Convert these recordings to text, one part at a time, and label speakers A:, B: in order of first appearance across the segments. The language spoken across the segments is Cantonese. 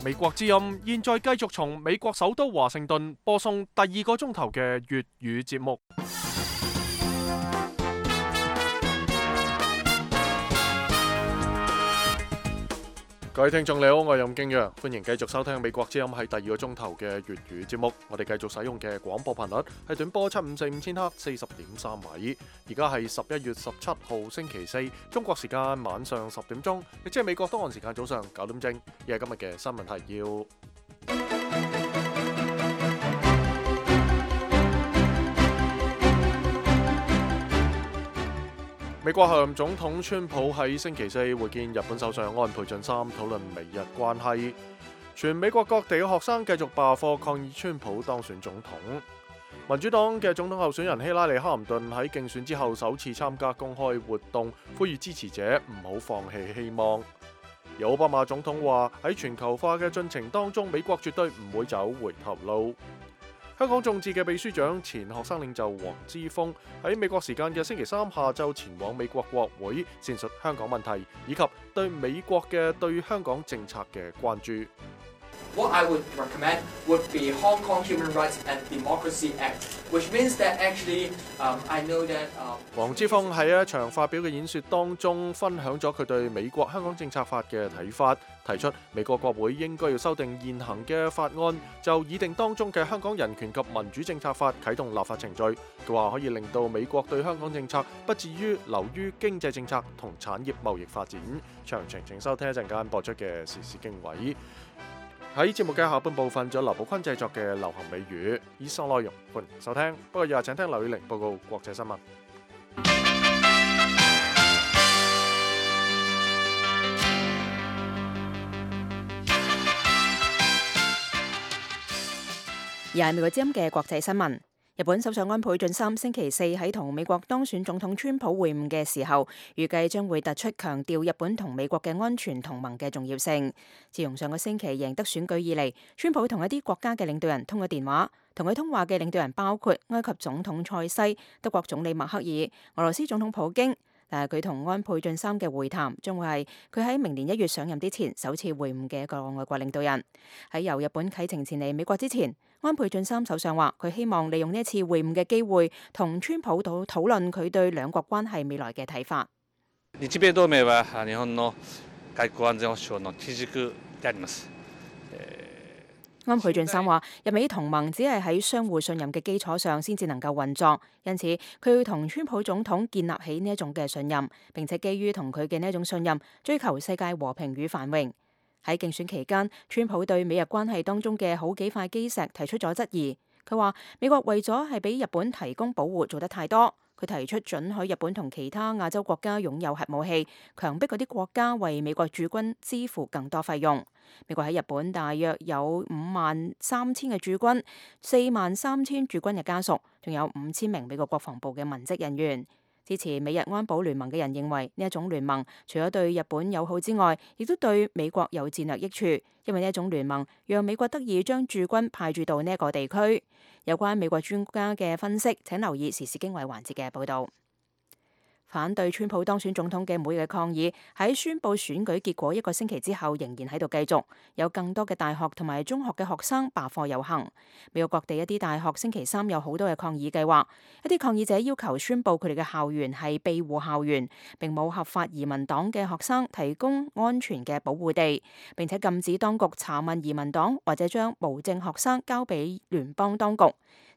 A: 美國之音現在繼續從美國首都華盛頓播送第2個鐘頭嘅粵語節目。各位聽眾你好，我係任敬陽，歡迎繼續收聽美國之音係第2個鐘頭嘅粵語節目。我哋繼續使用嘅廣播頻率係短波7545千赫40.3米。而家係11月17號星期四，中國時間晚上10點鐘，亦即係美國東岸時間早上9點正。亦係今日嘅新聞提要。美國候任總統川普喺星期四會見日本首相安倍晉三，討論美日關係。全美國各地嘅學生繼續罷課抗議川普當選總統。民主黨嘅總統候選人希拉里·克林頓喺競選之後首次參加公開活動，呼籲支持者唔好放棄希望。而奧巴馬總統話喺全球化嘅進程當中，美國絕對唔會走回頭路。香港眾志嘅秘書長、前學生領袖黃之鋒喺美國時間嘅星期三下晝前往美國國會，闡述香港問題以及對美國嘅對香港政策嘅關注。
B: What I would recommend would be Hong Kong Human Rights and Democracy Act, which means that actually, I know that.
A: 黃之鋒喺一場發表嘅演說當中，分享咗佢對美國香港政策法嘅睇法，提出美國國會應該要修訂現行嘅法案，就擬定當中嘅香港人權及民主政策法啟動立法程序。佢話可以令到美國對香港政策不至於流於經濟政策同產業貿易發展。詳情請收聽一陣間播出嘅時事經緯。喺節目嘅下半部分，仲有劉寶坤製作嘅流行美語，以上內容歡迎收聽。不過以下請聽劉宇玲報告國際新聞。
C: 而係美國之音嘅國際新聞。日本首相安倍晉三星期四喺同美國當選總統川普會晤嘅時候，預計將會突出強調日本同美國嘅安全同盟嘅重要性。自從上個星期贏得選舉以嚟，川普同一啲國家嘅領導人通咗電話，同佢通話嘅領導人包括埃及總統塞西、德國總理默克爾、俄羅斯總統普京。但係佢同安倍晉三嘅會談將會係佢喺明年1月上任之前首次會晤嘅一個外國領導人。喺由日本啟程前嚟美國之前，安倍晉三首相話佢希望利用呢一次會晤嘅機會，同川普討論佢對兩國關係未來嘅睇法。
D: 日米同盟は日本の外交安全保障の基軸であります。
C: 安倍晉三話：日美同盟只係喺相互信任嘅基礎上先至能夠運作，因此佢要同川普總統建立起呢一種嘅信任，並且基於同佢嘅呢一種信任，追求世界和平與繁榮。喺競選期間，川普對美日關係當中嘅好幾塊基石提出咗質疑。佢話美國為咗係俾日本提供保護做得太多。佢提出准許日本同其他亞洲國家擁有核武器，強迫嗰啲國家為美國駐軍支付更多費用。美國喺日本大約有53000嘅駐軍，43000駐軍嘅家屬，仲有5000名美國國防部嘅文職人員。支持美日安保聯盟嘅人認為呢一種聯盟除咗對日本友好之外，亦都對美國有戰略益處，因為呢一種聯盟讓美國得以將駐軍派駐到呢一個地區。有關美國專家嘅分析，請留意時事經緯環節嘅報導。反對川普當選總統嘅每日嘅抗議喺宣佈選舉結果1個星期之後仍然喺度繼續，有更多嘅大學同埋中學嘅學生罷課遊行。美國各地一啲大學星期三有好多嘅抗議計劃，一啲抗議者要求宣佈佢哋嘅校園係庇護校園，並冇合法移民黨嘅學生提供安全嘅保護地，並且禁止當局查問移民黨或者將無證學生交俾聯邦當局。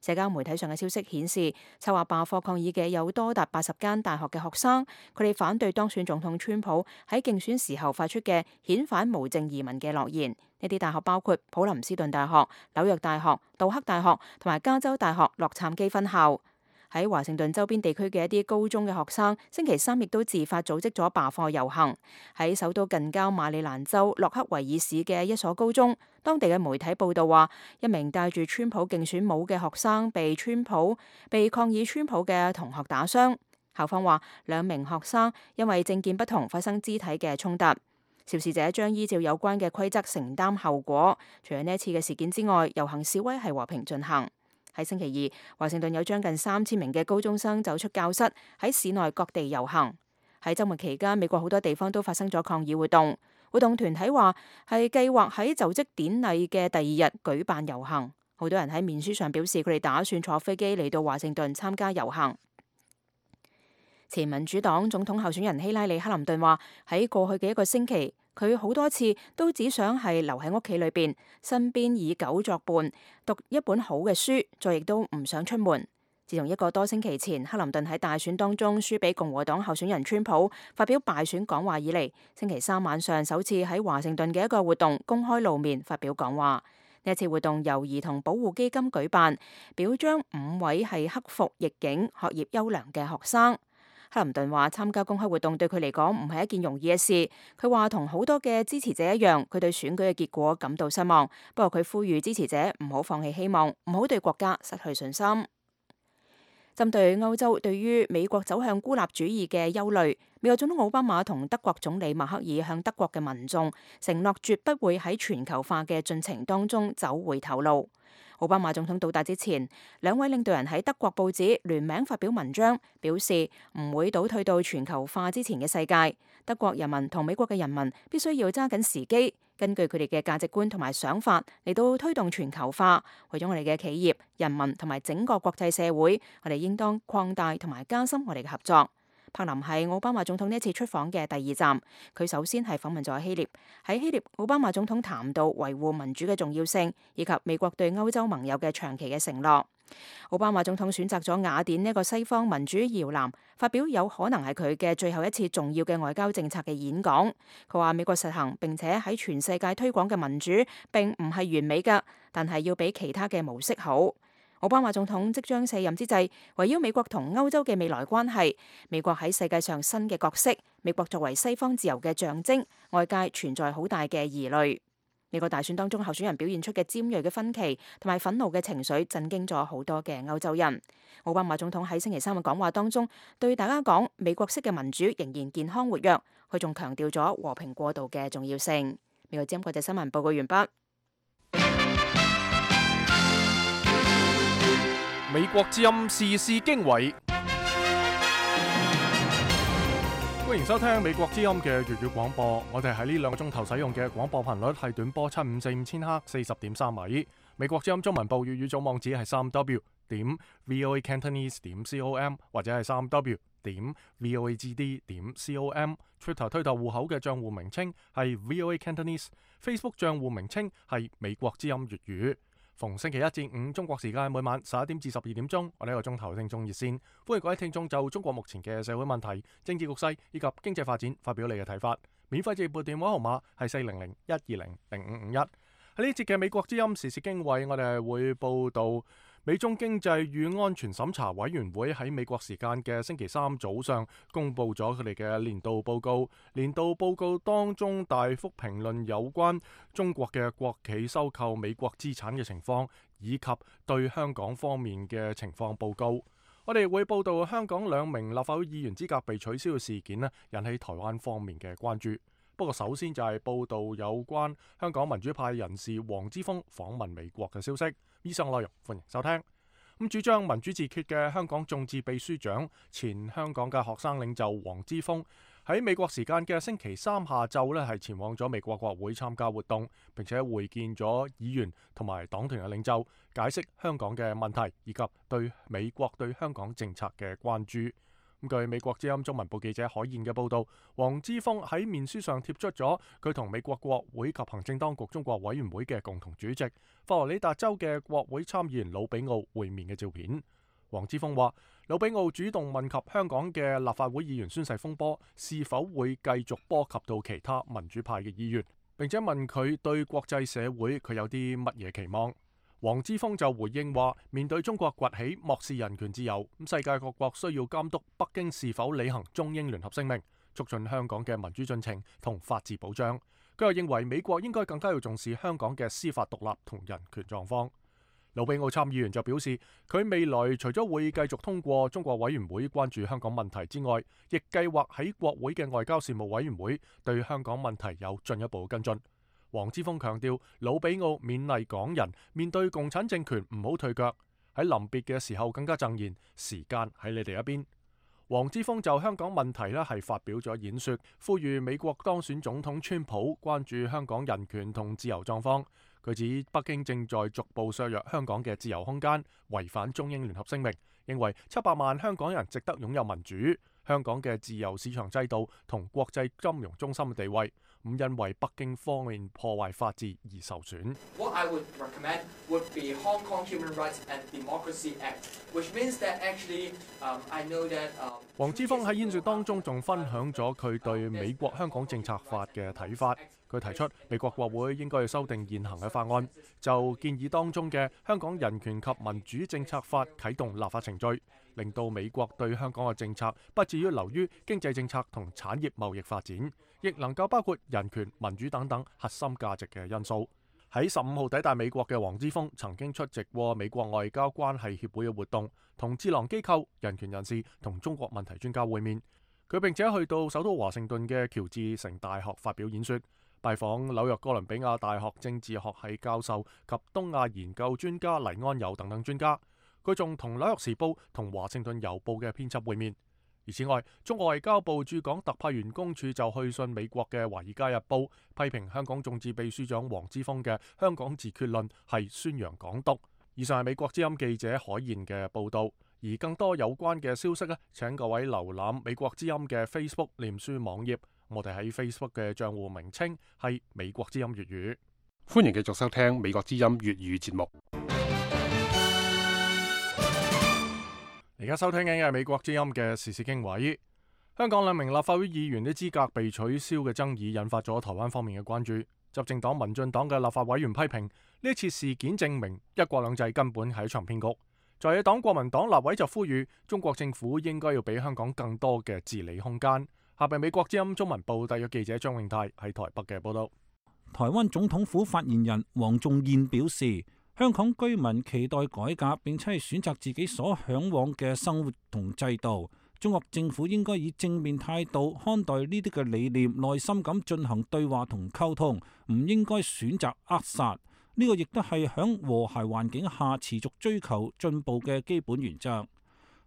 C: 社交媒體上嘅消息顯示，策劃罷課抗議嘅有多達80間大學嘅學生，佢哋反對當選總統川普喺競選時候發出嘅遣返無證移民嘅諾言。呢啲大學包括普林斯頓大學、紐約大學、杜克大學同埋加州大學洛杉磯分校。喺華盛頓周邊地區嘅一啲高中嘅學生，星期三亦都自發組織咗罷課遊行。喺首都近郊馬里蘭州洛克維爾市嘅一所高中，當地嘅媒體報道話，一名戴住川普競選帽嘅學生被抗議川普嘅同學打傷。校方話2名學生因為政見不同發生肢體嘅衝突，肇事者將依照有關嘅規則承擔後果。除咗呢一次嘅事件之外，遊行示威係和平進行。喺星期二，華盛頓有將近3000名嘅高中生走出教室，喺市內各地遊行。喺週末期間，美國好多地方都發生咗抗議活動。活動團體話係計劃喺就職典禮嘅第二日舉辦遊行。好多人喺面書上表示佢哋打算坐飛機嚟到華盛頓參加遊行。前民主黨總統候選人希拉里·克林頓話喺過去嘅一個星期，佢好多次都只想係留喺屋企裏邊，身邊以狗作伴，讀一本好嘅書，再亦都唔想出門。自從一個多星期前克林頓喺大選當中輸俾共和黨候選人川普，發表敗選講話以嚟，星期三晚上首次喺華盛頓嘅一個活動公開露面發表講話。呢一次活動由兒童保護基金舉辦，表彰5位係克服逆境、學業優良嘅學生。克林頓話參加公開活動對佢嚟講唔係一件容易嘅事。佢話同好多嘅支持者一樣，佢對選舉嘅結果感到失望。不過佢呼籲支持者唔好放棄希望，唔好對國家失去信心。針對歐洲對於美國走向孤立主義嘅憂慮，美國總統奧巴馬同德國總理默克爾向德國嘅民眾承諾絕不會喺全球化嘅進程當中走回頭路。奧巴馬總統到達之前，兩位領導人喺德國報紙聯名發表文章，表示唔會倒退到全球化之前嘅世界。德國人民同美國嘅人民必須要揸緊時機，根據佢哋嘅價值觀同埋想法嚟到推動全球化。為咗我哋嘅企業、人民同埋整個國際社會，我哋應當擴大同埋加深我哋嘅合作。柏林係奧巴馬總統呢一次出訪嘅第二站，佢首先係訪問咗希臘。喺希臘，奧巴馬總統談到維護民主嘅重要性，以及美國對歐洲盟友嘅長期嘅承諾。奧巴馬總統選擇咗雅典呢個西方民主搖籃，發表有可能係佢嘅最後一次重要嘅外交政策嘅演講。佢話美國實行並且喺全世界推廣嘅民主並唔係完美㗎，但係要比其他嘅模式好。奧巴馬總統即將卸任之際，圍繞美國同歐洲嘅未來關係，美國喺世界上新嘅角色，美國作為西方自由嘅象徵，外界存在好大嘅疑慮。美國大選當中候選人表現出嘅尖銳嘅分歧同埋憤怒嘅情緒，震驚咗好多嘅歐洲人。奧巴馬總統喺星期三嘅講話當中，對大家講美國式嘅民主仍然健康活躍，佢仲強調咗和平過渡嘅重要性。美國之音國際新聞報告完畢。
A: 美國之音時事經緯，歡迎收聽美國之音嘅粵語廣播。我哋喺呢2個鐘頭使用嘅廣播頻率係短波7545千赫40.3米。美國之音中文部粵語組網址係3w.voacantonese.com 或者係3w.voagd.com。Twitter 推特戶口嘅賬戶名稱係 VOA Cantonese， Facebook 賬戶名稱係美國之音粵語。逢星期一至五中國時間每晚11點至12點鐘，我哋一個鐘頭聽眾熱線，歡迎各位聽眾就中國目前嘅社會問題、政治局勢以及經濟發展發表你嘅睇法。免費直撥電話號碼係400-120-0551。喺呢節嘅美國之音時事經緯，我哋係會報道美中經濟與安全審查委員會喺美國時間嘅星期三早上公布咗佢哋嘅年度報告。年度報告當中大幅評論有關中國嘅國企收購美國資產嘅情況，以及對香港方面嘅情況報告。我哋會報道香港2名立法會議員資格被取消嘅事件咧，引起台灣方面嘅關注。不過首先就係報道有關香港民主派人士黃之鋒訪問美國嘅消息。以上內容歡迎收聽。主張民主自決嘅香港眾志秘書長、前香港嘅學生領袖黃之鋒喺美國時間嘅星期三下晝係前往咗美國國會參加活動，並且會見咗議員同埋黨團嘅領袖，解釋香港嘅問題以及對美國對香港政策嘅關注。據美國之音中文部記者海燕嘅報道，黃之鋒喺面書上貼出咗佢同美國國會及行政當局中國委員會嘅共同主席佛羅里達州嘅國會參議員魯比奧會面嘅照片。黃之鋒話，魯比奧主動問及香港嘅立法會議員宣誓風波是否會繼續波及到其他民主派嘅議員，並且問佢對國際社會佢有啲乜嘢期望。黃之鋒就回應話，面對中國崛起漠視人權自由，世界各國需要監督北京是否履行中英聯合聲明，促進香港嘅民主進程同法治保障。佢又認為美國應該更加要重視香港嘅司法獨立同人權狀況。魯比奧參議員就表示，佢未來除咗會繼續通過中國委員會關注香港問題之外，亦計劃喺國會嘅外交事務委員會對香港問題有進一步跟進。黃之鋒強調，魯比奧勉勵港人面對共產政權唔好退腳，喺臨別嘅時候更加贈言，時間喺你哋一邊。黃之鋒就香港問題係發表咗演說，呼籲美國當選總統川普關注香港人權同自由狀況。佢指北京正在逐步削弱香港嘅自由空間，違反中英聯合聲明，認為700萬香港人值得擁有民主，香港嘅自由市場制度同國際金融中心嘅地位唔因為北京方面破壞法治而受損。
B: What I would recommend would be Hong Kong Human Rights and Democracy Act, which means that actually, I know that.
A: 黃之鋒喺演說當中仲分享咗佢對美國香港政策法嘅睇法。佢提出美國國會應該要修訂現行嘅法案，就建議當中嘅香港人權及民主政策法啟動立法程序，令到美國對香港嘅政策不至於流於經濟政策同產業貿易發展，亦能夠包括人權、民主等等核心價值嘅因素。喺15號抵達美國嘅黃之鋒曾經出席過美國外交關係協會嘅活動，同智囊機構、人權人士同中國問題專家會面。佢並且去到首都華盛頓嘅喬治城大學發表演說，拜訪紐約哥倫比亞大學政治學系教授及東亞研究專家黎安友等等專家。佢仲同紐約時報同華盛頓郵報嘅編輯會面。而此外，中國外交部駐港特派員公署就去信美國嘅《華爾街日報》，批評香港眾志秘書長黃之鋒嘅《香港自決論》係宣揚港獨。以上係美國之音記者海燕嘅報導。而更多有關嘅消息呢，請各位瀏覽美國之音嘅 Facebook 臉書網頁。我哋喺 Facebook 嘅賬戶名稱係美國之音粵語。
E: 歡迎繼續收聽美國之音粵語節目。
A: 而家收聽緊嘅係美國之音嘅時事經緯。香港2名立法會議員的資格被取消嘅爭議引發咗台灣方面嘅關注。執政黨民進黨嘅立法委員批評呢次事件證明一國兩制根本係一場騙局。在野黨國民黨立委就呼籲中國政府應該要俾香港更多嘅治理空間。下邊美國之音中文部特約記者張永泰喺台北嘅報道。
F: 台灣總統府發言人黃仲彥表示，香港居民期待改革，並且係選擇自己所嚮往嘅生活同制度。中國政府應該以正面態度看待呢啲嘅理念，耐心咁進行對話同溝通，唔應該選擇扼殺。呢個亦都係響和諧環境下持續追求進步嘅基本原則。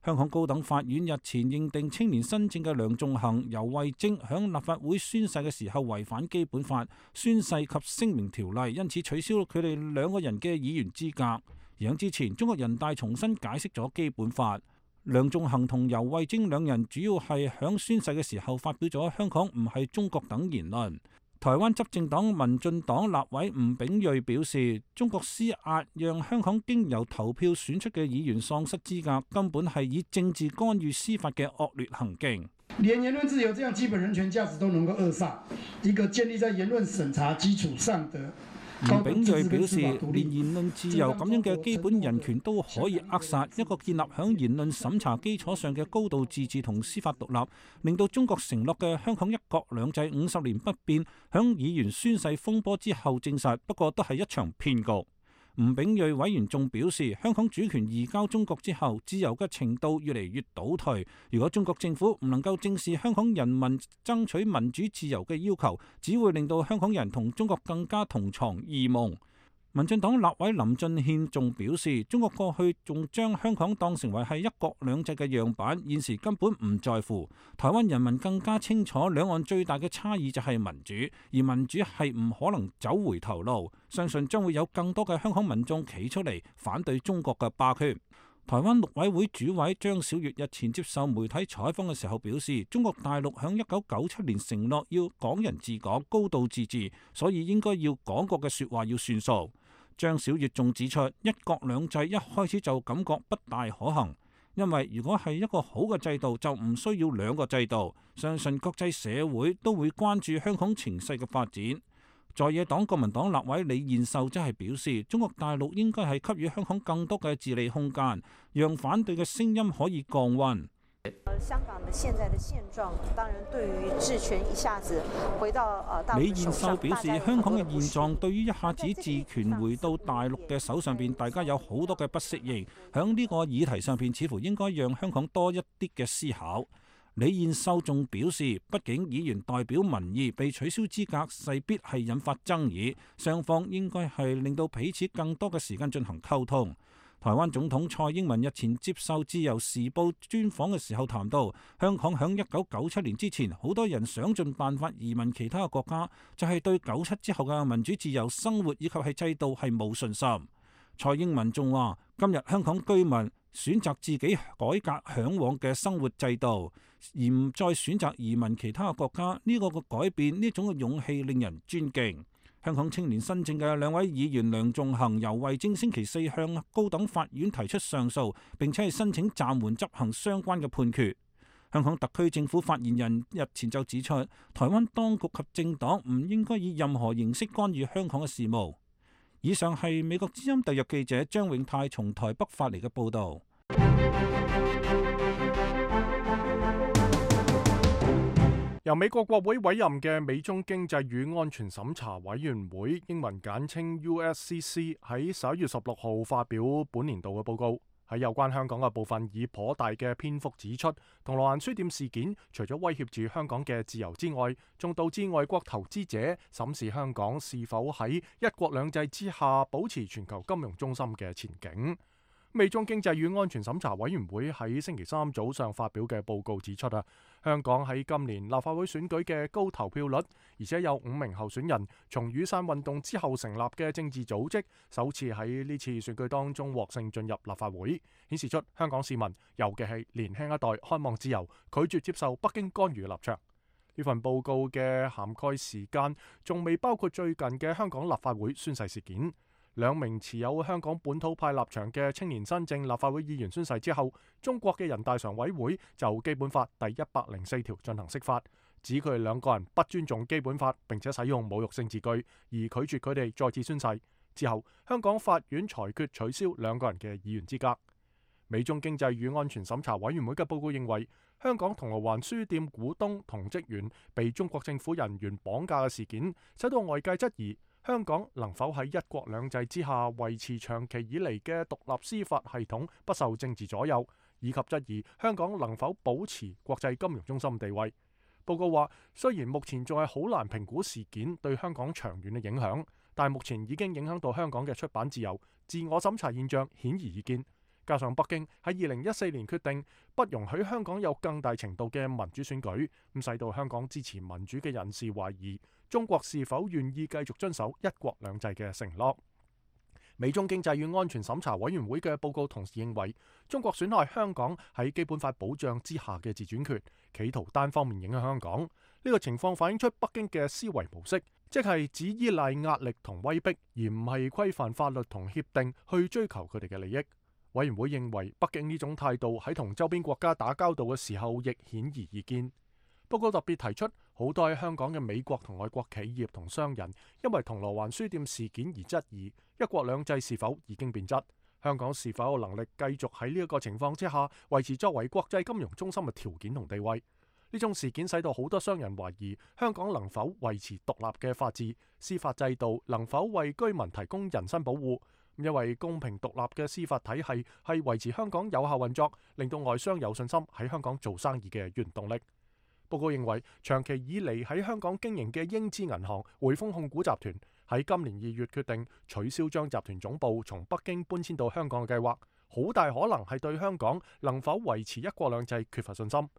F: 香港高等法院日前認定青年新政嘅梁頌恆、游蕙禎響立法會宣誓嘅時候違反基本法、宣誓及聲明條例，因此取消佢哋2個人嘅議員資格。而喺之前，中國人大重新解釋咗基本法。梁頌恆同游蕙禎2人主要係響宣誓嘅時候發表咗香港唔係中國等言論。台灣執政黨民進黨立委吳秉叡表示，中國施壓讓香港經由投票選出嘅議員喪失資格，根本係以政治干預司法嘅惡劣行徑。
G: 連言論自由這樣基本人權價值都能夠扼殺，一個建立在言論審查基礎上的。
F: 吳秉叡表示，連言論自由咁樣嘅基本人權都可以扼殺，一個建立響言論審查基礎上嘅高度自治同司法獨立，令到中國承諾嘅香港一國兩制50年不變，響議員宣誓風波之後證實，不過都係一場騙局。吳秉叡委員仲表示，香港主權移交中國之後，自由嘅程度越嚟越倒退。如果中國政府唔能夠正視香港人民爭取民主自由嘅要求，只會令到香港人同中國更加同床異夢。民進黨立委林俊憲仲表示，中國過去仲將香港當成為係一國兩制嘅樣板，現時根本唔在乎。台灣人民更加清楚，兩岸最大嘅差異就係民主，而民主係唔可能走回頭路。相信將會有更多嘅香港民眾企出嚟反對中國嘅霸權。台灣陸委會主委張小月日前接受媒體採訪嘅時候表示，中國大陸響1997年承諾要港人治港、高度自治，所以應該要講過嘅說話要算數。張小月仲指出，一國兩制一開始就感覺不大可行，因為如果係一個好嘅制度，就唔需要2個制度。相信國際社會都會關注香港情勢嘅發展。在野黨國民黨立委李彥秀則係表示，中國大陸應該係給予香港更多嘅治理空間，讓反對嘅聲音可以降溫。
H: 香港的現在的現狀，當然對於治權一下子回到大陸
F: 李彥秀表示，香港嘅現狀對於一下子治權回到大陸嘅手上邊，大家有好多嘅不適應。響呢個議題上邊，似乎應該讓香港多一啲嘅思考。李彥秀仲表示，畢竟議員代表民意，被取消資格勢必係引發爭議，雙方應該係令到彼此更多嘅時間進行溝通。台灣總統蔡英文日前接受《自由時報》專訪嘅時候談到，香港響1997年之前，好多人想盡辦法移民其他嘅國家，就係對97之後嘅民主自由生活以及係制度係冇信心。蔡英文仲話：今日香港居民選擇自己改革嚮往嘅生活制度，而唔再選擇移民其他嘅國家，呢個嘅改變，呢種嘅勇氣令人尊敬。香港青年新政嘅兩位議員梁頌恆、游蕙禎星期四向高等法院提出上訴，並且係申請暫緩執行相關嘅判決。香港特區政府發言人日前就指出，台灣當局及政黨唔應該以任何形式干預香港嘅事務。以上係美國之音特約記者張永泰從台北發嚟嘅報導。
A: 由美國國會委任嘅美中經濟與安全審查委員會（英文簡稱 USCC） 喺11月16號發表本年度嘅報告，喺有關香港嘅部分以頗大嘅篇幅指出，銅鑼灣書店事件除咗威脅住香港嘅自由之外，仲導致外國投資者審視香港是否喺一國兩制之下保持全球金融中心嘅前景。美中經濟與安全審查委員會喺星期三早上發表嘅報告指出香港喺今年立法會選舉嘅高投票率，而且有5名候選人從雨傘運動之後成立嘅政治組織，首次喺呢次選舉當中獲勝進入立法會，顯示出香港市民，尤其係年輕一代，渴望自由，拒絕接受北京干預嘅立場。呢份報告嘅涵蓋時間仲未包括最近嘅香港立法會宣誓事件。2名持有香港本土派立場嘅青年新政立法會議員宣誓之後，中國嘅人大常委會就基本法第104條進行釋法，指佢哋2個人不尊重基本法，並且使用侮辱性字句，而拒絕佢哋再次宣誓。之後，香港法院裁決取消2個人嘅議員資格。美中經濟與安全審查委員會嘅報告認為，香港銅鑼灣書店股東同職員被中國政府人員綁架嘅事件，使到外界質疑香港能否喺一國兩制之下維持長期以嚟嘅獨立司法系統不受政治左右，以及質疑香港能否保持國際金融中心地位。報告話，雖然目前仲係好難評估事件對香港長遠嘅影響，但目前已經影響到香港嘅出版自由，自我審查現象顯而易見。加上北京喺2014年決定不容許香港有更大程度嘅民主選舉，咁使到香港支持民主嘅人士懷疑中國是否願意繼續遵守一國兩制嘅承諾。美中經濟與安全審查委員會嘅報告同時認為，中國損害香港喺基本法保障之下嘅自主權，企圖單方面影響香港。呢個情況反映出北京嘅思維模式，即係只依賴壓力同威逼，而唔係規範法律同協定去追求佢哋嘅利益。委員會認為，北京呢種態度喺同周邊國家打交道嘅時候亦顯而易見。報告特別提出，好多喺香港嘅美國同外國企業同商人，因為銅鑼灣書店事件而質疑一國兩制是否已經變質，香港是否有能力繼續喺呢一個情況之下維持作為國際金融中心嘅條件同地位。呢種事件使到好多商人懷疑香港能否維持獨立嘅法治、司法制度能否為居民提供人身保護。因為公平獨立嘅司法體系係維持香港有效運作，令到外商有信心喺香港做生意嘅原動力。報告認為，長期以嚟喺香港經營嘅英資銀行匯豐控股集團喺今年2月決定取消將集團總部從北京搬遷到香港嘅計劃，好大可能係對香港能否維持一國兩制缺乏信心。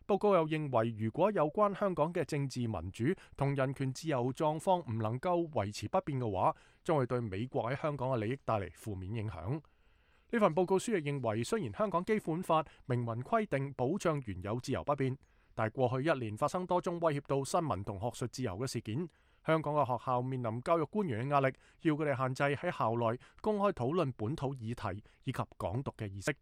A: 報告又認為，如果有關香港嘅政治民主同人權自由狀況唔能夠維持不變嘅話，將會對美國喺香港嘅利益帶嚟負面影響。呢份報告書亦認為，雖然香港基本法明文規定保障原有自由不變，但過去1年發生多宗威脅到新聞同學術自由嘅事件，香港嘅學校面臨教育官員嘅壓力，要佢哋限制喺校內公開討論本土議題以及港獨嘅意識。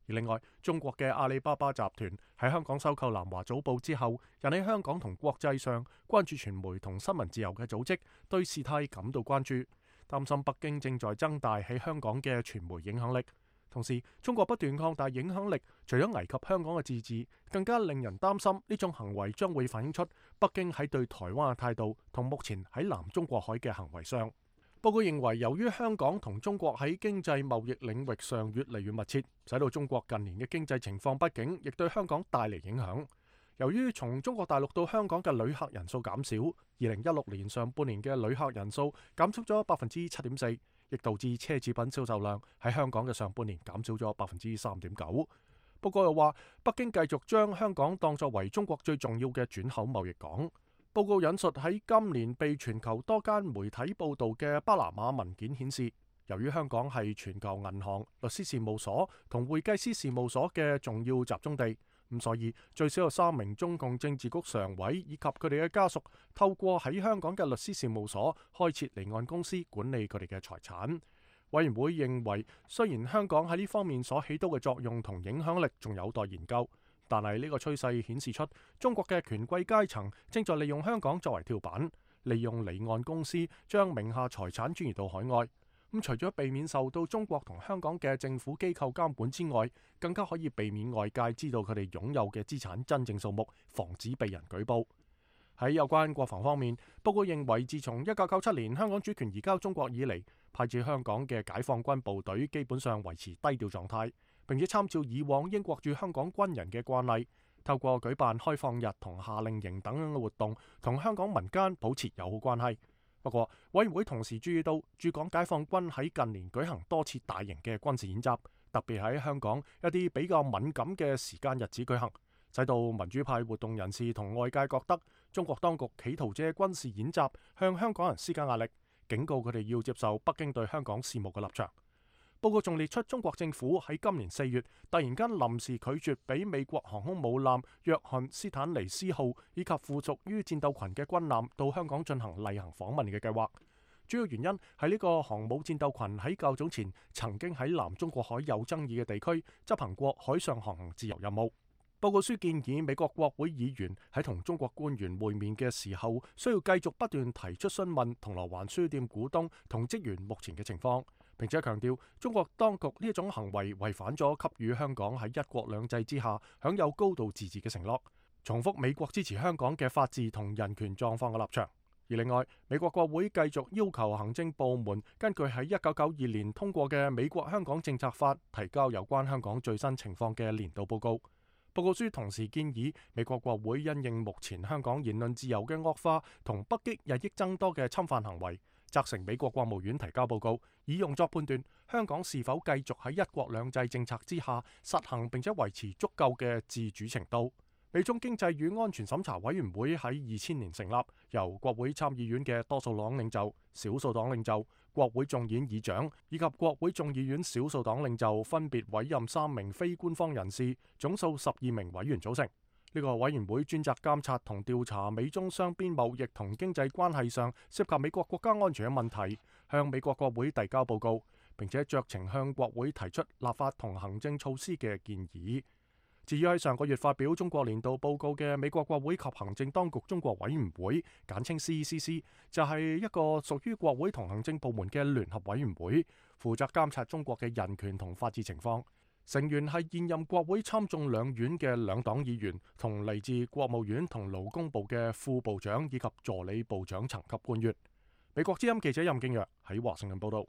A: 而另外，中國嘅阿里巴巴集團喺香港收購南華早報之後，引起香港同國際上關注傳媒同新聞自由嘅組織對事態感到關注，擔心北京正在增大喺香港嘅傳媒影響力。同時，中國不斷擴大影響力，除咗危及香港嘅自治，更加令人擔心呢種行為將會反映出北京喺對台灣嘅態度同目前喺南中國海嘅行為上。報告認為，由於香港同中國喺經濟貿易領域上越嚟越密切，使到中國近年嘅經濟情況不景，亦對香港帶嚟影響。由於從中國大陸到香港嘅旅客人數減少，2016年上半年嘅旅客人數減少咗7.4%，亦導致奢侈品銷售量喺香港嘅上半年減少咗3.9%。報告又話，北京繼續將香港當作為中國最重要嘅轉口貿易港。報告引述喺今年被全球多間媒體報導嘅巴拿馬文件顯示，由於香港係全球銀行、律師事務所同會計師事務所嘅重要集中地，咁所以最少有3名中共政治局常委以及佢哋嘅家屬透過喺香港嘅律師事務所開設離岸公司管理佢哋嘅財產。委員會認為，雖然香港喺呢方面所起到嘅作用同影響力仲有待研究，但係呢個趨勢顯示出中國嘅權貴階層正在利用香港作為跳板，利用離岸公司將名下財產轉移到海外。咁除咗避免受到中國同香港嘅政府機構監管之外，更加可以避免外界知道佢哋擁有嘅資產真正數目，防止被人舉報。喺有關國防方面，報告認為自從1997年香港主權移交中國以嚟，派駐香港嘅解放軍部隊基本上維持低調狀態，並且參照以往英國駐香港軍人嘅慣例，透過舉辦開放日同夏令營等嘅活動，同香港民間保持友好關係。不過，委員會同時注意到駐港解放軍喺近年舉行多次大型嘅軍事演習，特別喺香港一啲比較敏感嘅時間日子舉行，使到民主派活動人士同外界覺得中國當局企圖借軍事演習向香港人施加壓力，警告佢哋要接受北京對香港事務嘅立場。報告仲列出中國政府喺今年4月突然間臨時拒絕俾美國航空母艦約翰斯坦尼斯號以及附屬於戰鬥群嘅軍艦到香港進行例行訪問嘅計劃。主要原因係呢個航母戰鬥群喺較早前曾經喺南中國海有爭議嘅地區執行過海上航行自由任務。報告書建議美國國會議員喺同中國官員會面嘅時候，需要繼續不斷提出詢問銅鑼灣書店股東同職員目前嘅情況，並且強調中國當局呢一種行為違反咗給予香港喺一國兩制之下享有高度自治嘅承諾，重複美國支持香港嘅法治同人權狀況嘅立場。而另外，美國國會繼續要求行政部門根據喺1992年通過嘅美國香港政策法提交有關香港最新情況嘅年度報告。報告書同時建議美國國會因應目前香港言論自由嘅惡化同北京日益增多嘅侵犯行為，責成美國國務院提交報告，以用作判斷香港是否繼續喺一國兩制政策之下實行並且維持足夠嘅自主程度。美中經濟與安全審查委員會喺2000年成立，由國會參議院嘅多數黨領袖、少數黨領袖、國會眾議院議長以及國會眾議院少數黨領袖分別委任3名非官方人士，總數12名委員組成。呢個委員會專責監察同調查美中雙邊貿易同經濟關係上涉及美國國家安全嘅問題，向美國國會遞交報告，並且酌情向國會提出立法同行政措施嘅建議。至於喺上個月發表中國年度報告嘅美國國會及行政當局中國委員會，簡稱 CECC， 就係一個屬於國會同行政部門嘅聯合委員會，負責監察中國嘅人權同法治情況。成員係現任國會參眾兩院嘅兩黨議員，同嚟自國務院同勞工部嘅副部長以及助理部長層級官員。美國之音記者任敬若喺華盛頓報道。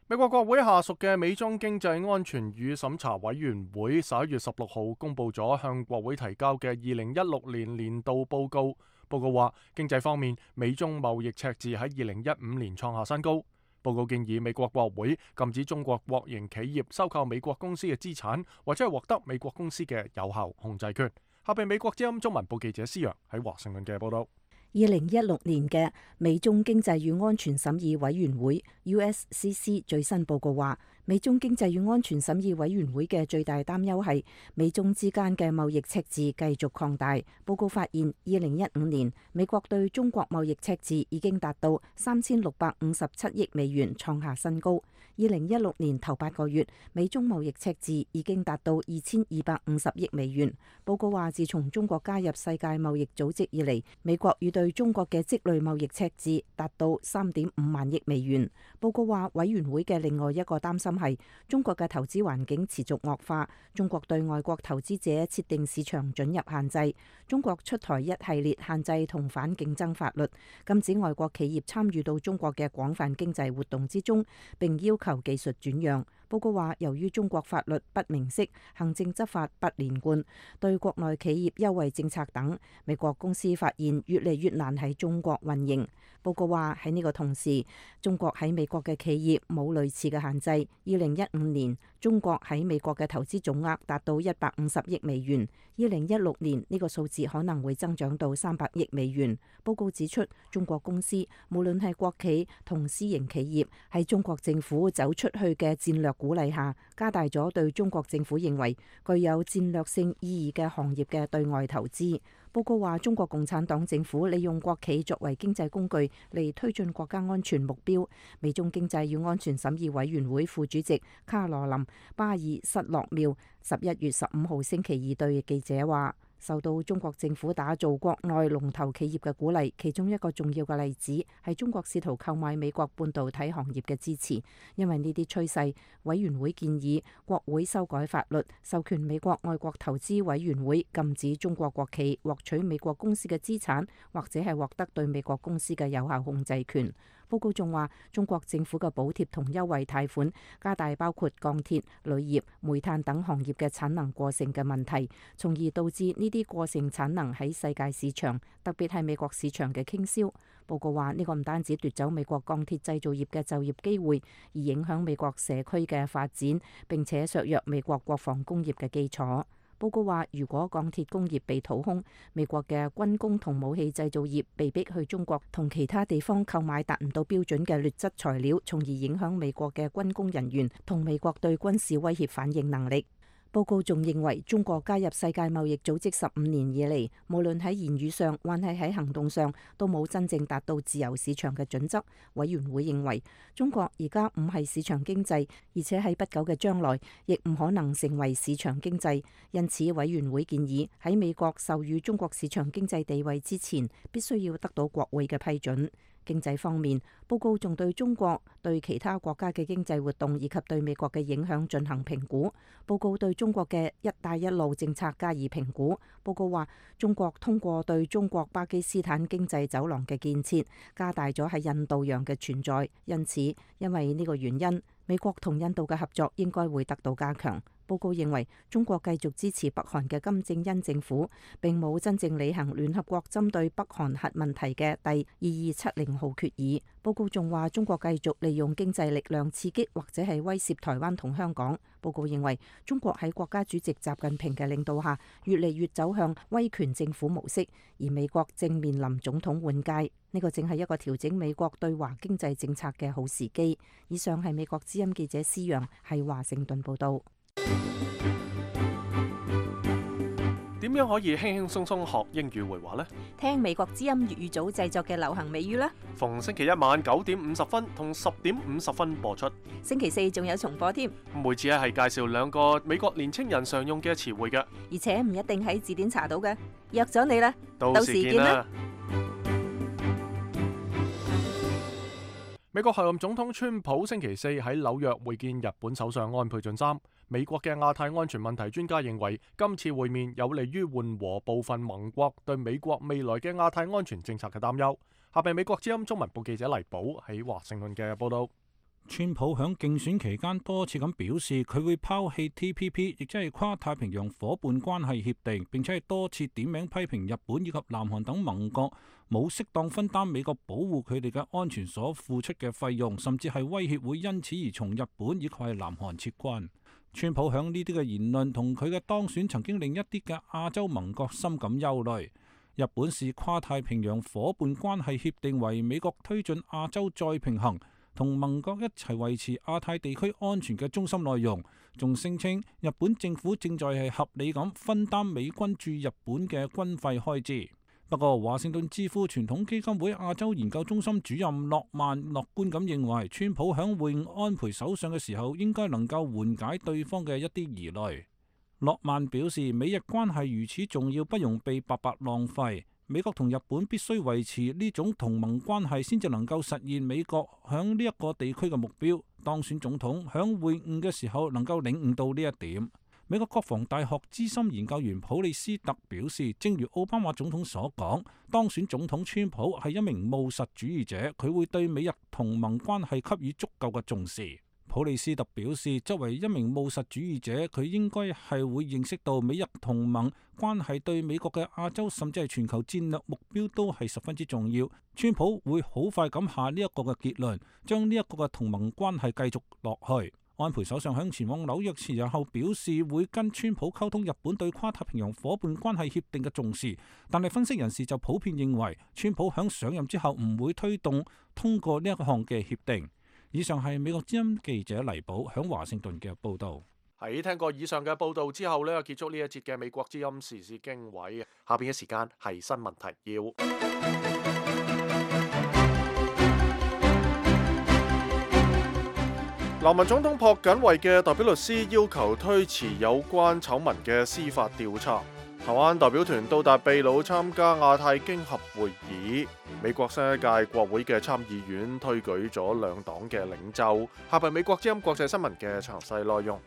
A: 美國國會下屬嘅美中經濟安全與審查委員會11月16號公佈咗向國會提交嘅2016年年度報告。報告話，經濟方面，美中貿易赤字喺2015年創下新高。報告建議美國國會禁止中國國營企業收購美國公司嘅資產，或者係獲得美國公司嘅有效控制權。下邊美國之音中文部記者施陽喺華盛頓嘅報道。
I: 2016年嘅美中經濟與安全審議委員會 USCC 最新報告話，美中經濟與安全審議委員會嘅最大擔憂係美中之間嘅貿易赤字繼續擴大。報告發現，2015年美國對中國貿易赤字已經達到3657億美元，創下新高。2016年頭8個月，美中貿易赤字已經達到2250億美元。報告話，自從中國加入世界貿易組織以嚟，美國與對中國嘅積累貿易赤字達到3.5萬億美元。報告話，委員會嘅另外一個擔心係中國嘅投資環境持續惡化，中國對外國投資者設定市場准入限制，中國出台一系列限制同反競爭法律，禁止外國企業參與到中國嘅廣泛經濟活動之中，並要求求技術轉讓。報告話，由於中國法律不明晰、行政執法不連貫、對國內企業優惠政策等，美國公司發現越嚟越難喺中國運營。報告話，喺呢個同時，中國喺美國嘅企業冇類似嘅限制。2015年，中國喺美國嘅投資總額達到150億美元。2016年呢個數字可能會增長到300億美元。報告指出，中國公司無論係國企同私營企業，喺中國政府走出去嘅戰略鼓勵下，加大咗對中國政府認為具有戰略性意義嘅行業嘅對外投資。報告話，中國共產黨政府利用國企作為經濟工具嚟推進國家安全目標。美中經濟與安全審議委員會副主席卡羅琳·巴爾塞洛繆11月15號星期二對記者話，受到中國政府打造國內龍頭企業嘅鼓勵，其中一個重要嘅例子係中國試圖購買美國半導體行業嘅支持。因為呢啲趨勢，委員會建議國會修改法律，授權美國外國投資委員會禁止中國國企獲取美國公司嘅資產，或者係獲得對美國公司嘅有效控制權。報告仲話，中國政府嘅補貼同優惠貸款加大包括鋼鐵、鋁業、煤炭等行業嘅產能過剩嘅問題，從而導致呢啲過剩產能喺世界市場，特別係美國市場嘅傾銷。報告話，呢個唔單止奪走美國鋼鐵製造業嘅就業機會，而影響美國社區嘅發展，並且削弱美國國防工業嘅基礎。報告話，如果鋼鐵工業被掏空，美國嘅軍工同武器製造業被逼去中國同其他地方購買達唔到標準嘅劣質材料，從而影響美國嘅軍工人員同美國對軍事威脅反應能力。報告仲認為，中國加入世界貿易組織15年以嚟，無論喺言語上還係喺行動上，都冇真正達到自由市場嘅準則。委員會認為，中國而家唔係市場經濟，而且喺不久嘅將來，亦唔可能成為市場經濟。因此，委員會建議喺美國授予中國市場經濟地位之前，必須要得到國會嘅批准。經濟方面，報告仲對中國對其他國家嘅經濟活動以及對美國嘅影響進行評估。報告對中國嘅一帶一路政策加以評估。報告話，中國通過對中國巴基斯坦經濟走廊嘅建設，加大咗喺印度洋嘅存在。因此，因為呢個原因，美國同印度嘅合作應該會得到加強。報告認為，中國繼續支持北韓嘅金正恩政府，並冇真正履行聯合國針對北韓核問題嘅第2270號決議。報告仲話，中國繼續利用經濟力量刺激或者係威脅台灣同香港。報告認為，中國喺國家主席習近平嘅領導下，越嚟越走向威權政府模式，而美國正面臨總統換屆，呢個正係一個調整美國對華經濟政策嘅好時機。以上係美國之音記者施陽喺華盛頓報道。
A: 點樣可以輕輕鬆鬆學英語會話呢？
J: 聽美國之音粵語組製作嘅流行美語啦。
A: 逢星期一晚9點50分同10點50分播出。
J: 星期四仲有重播添。
A: 每次係介紹2個美國年青人常用嘅詞彙嘅，
J: 而且唔一定喺字典查到嘅。約咗你啦，
A: 到時見啦。美國候任總統川普星期四喺紐約會見日本首相安倍晉三。美國嘅亞太安全問題專家認為，今次會面有利於緩和部分盟國對美國未來嘅亞太安全政策嘅擔憂。下邊美國之音中文部記者黎寶喺華盛頓嘅報道。
F: 川普響競選期間多次咁表示，佢會拋棄 TPP， 亦即係跨太平洋夥伴關係協定，並且係多次點名批評日本以及南韓等盟國冇適當分擔美國保護佢哋嘅安全所付出嘅費用，甚至係威脅會因此而從日本以及係南韓撤軍。川普響呢啲嘅言論同佢嘅當選，曾經令一啲嘅亞洲盟國深感憂慮。日本視跨太平洋夥伴關係協定為美國推進亞洲再平衡，同盟國一齊維持亞太地區安全嘅中心內容，仲聲稱日本政府正在係合理咁分擔美軍駐日本嘅軍費開支。不過，華盛頓智庫傳統基金會亞洲研究中心主任諾曼樂觀咁認為，川普響會晤安倍首相嘅時候，應該能夠緩解對方嘅一啲疑慮。諾曼表示，美日關係如此重要，不容被白白浪費。美國同日本必須維持呢種同盟關係，先至能夠實現美國響呢一個地區嘅目標。當選總統響會晤嘅時候，能夠領悟到呢一點。美國國防大學資深研究員普利斯特表示，正如奧巴馬總統所講，當選總統川普係一名務實主義者，佢會對美日同盟關係給予足夠嘅重視。普利斯特表示，作為一名務實主義者，佢應該係會認識到美日同盟關係對美國嘅亞洲甚至係全球戰略目標都係十分之重要。川普會好快咁下呢一個嘅結論，將呢一個嘅同盟關係繼續落去。安倍首相向前往紐約前日後表示，會跟川普溝通日本對跨太平洋夥伴關係協定嘅重視，但係分析人士就普遍認為，川普響上任之後唔會推動通過呢一項嘅協定。以上係美國之音記者黎寶響華盛頓嘅報導。
A: 喺聽過以上嘅報導之後呢，結束呢一節嘅美國之音時事經緯。下邊嘅時間係新聞提要。南韓總統朴槿惠嘅代表律師要求推遲有關醜聞嘅司法調查。台灣代表團到達秘魯參加亞太經合會議。美國新一屆國會嘅參議院推舉咗兩黨嘅領袖。下邊美國之音國際新聞嘅詳細內容。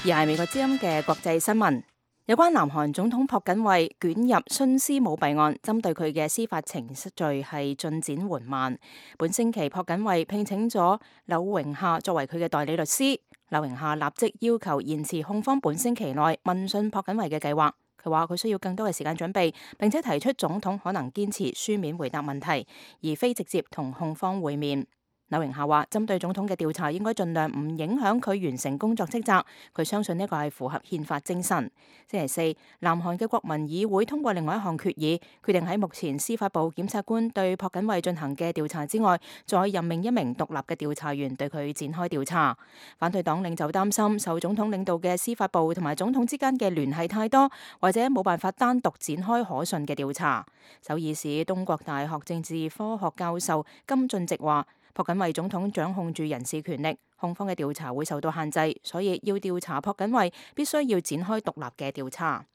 C: 而係美國之音嘅國際新聞，有關南韓總統朴槿惠捲入徇私舞弊案，針對佢嘅司法程序係進展緩慢。本星期朴槿惠聘請咗柳榮夏作為佢嘅代理律師，柳榮夏立即要求延遲控方本星期內問訊朴槿惠嘅計劃。佢話佢需要更多嘅時間準備，並且提出總統可能堅持書面回答問題，而非直接同控方會面。柳榮夏話：針對總統嘅調查應該盡量唔影響佢完成工作職責。佢相信呢個係符合憲法精神。星期四，南韓嘅國民議會通過另外一項決議，決定喺目前司法部檢察官對朴槿惠進行嘅調查之外，再任命一名獨立嘅調查員對佢展開調查。反對黨領袖擔心受總統領導嘅司法部同埋總統之間嘅聯繫太多，或者冇辦法單獨展開可信嘅調查。首爾市東國大學政治科學教授金俊植話：朴槿惠總統掌控住人事權力，控方嘅調查會受到限制，所以要調查朴槿惠必須要展開獨立嘅調查。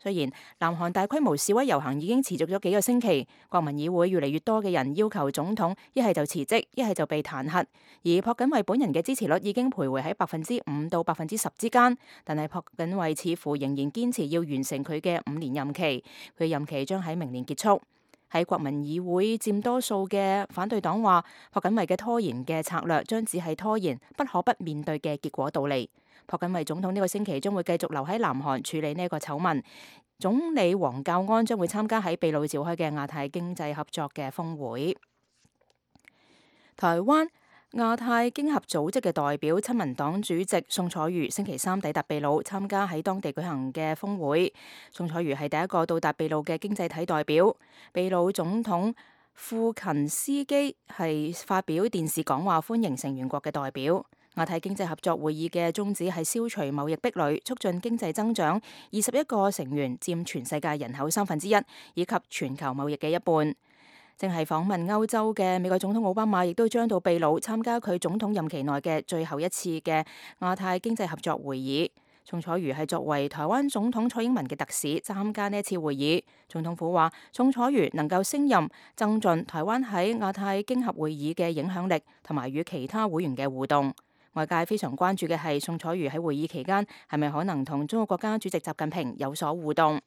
C: 雖然南韓大規模示威遊行已經持續咗幾個星期，國民議會越嚟越多嘅人要求總統一係就辭職，一係就被彈劾，而朴槿惠本人嘅支持率已經徘徊喺5%到10%之間，但係朴槿惠似乎仍然堅持要完成佢嘅5年任期，佢任期將喺明年結束。喺國民議會佔多數嘅反對黨話，朴槿惠嘅拖延嘅策略將只係拖延不可不面對嘅結果到嚟。朴槿惠總統呢個星期將會繼續留喺南韓處理呢一個醜聞。總理黃教安將會參加喺秘魯召開嘅亞太經濟合作嘅峰會。台灣亞太經合組織嘅代表親民黨主席宋楚瑜星期三抵達秘魯參加喺當地舉行嘅峰會。宋楚瑜係第一個到達秘魯嘅經濟體代表。秘魯總統庫勤斯基係發表電視講話歡迎成員國嘅代表。亞太經濟合作會議嘅宗旨係消除貿易壁壘，促進經濟增長。21個成員佔全世界人口1/3，以及全球貿易嘅一半。正係訪問歐洲嘅美國總統奧巴馬，亦都將到秘魯參加佢總統任期內嘅最後一次嘅亞太經濟合作會議。宋楚瑜係作為台灣總統蔡英文嘅特使參加呢一次會議。總統府話，宋楚瑜能夠升任，增進台灣喺亞太經合會議嘅影響力，同埋與其他會員嘅互動。外界非常關注嘅係宋楚瑜喺會議期間係咪可能同中國國家主席習近平有所互動。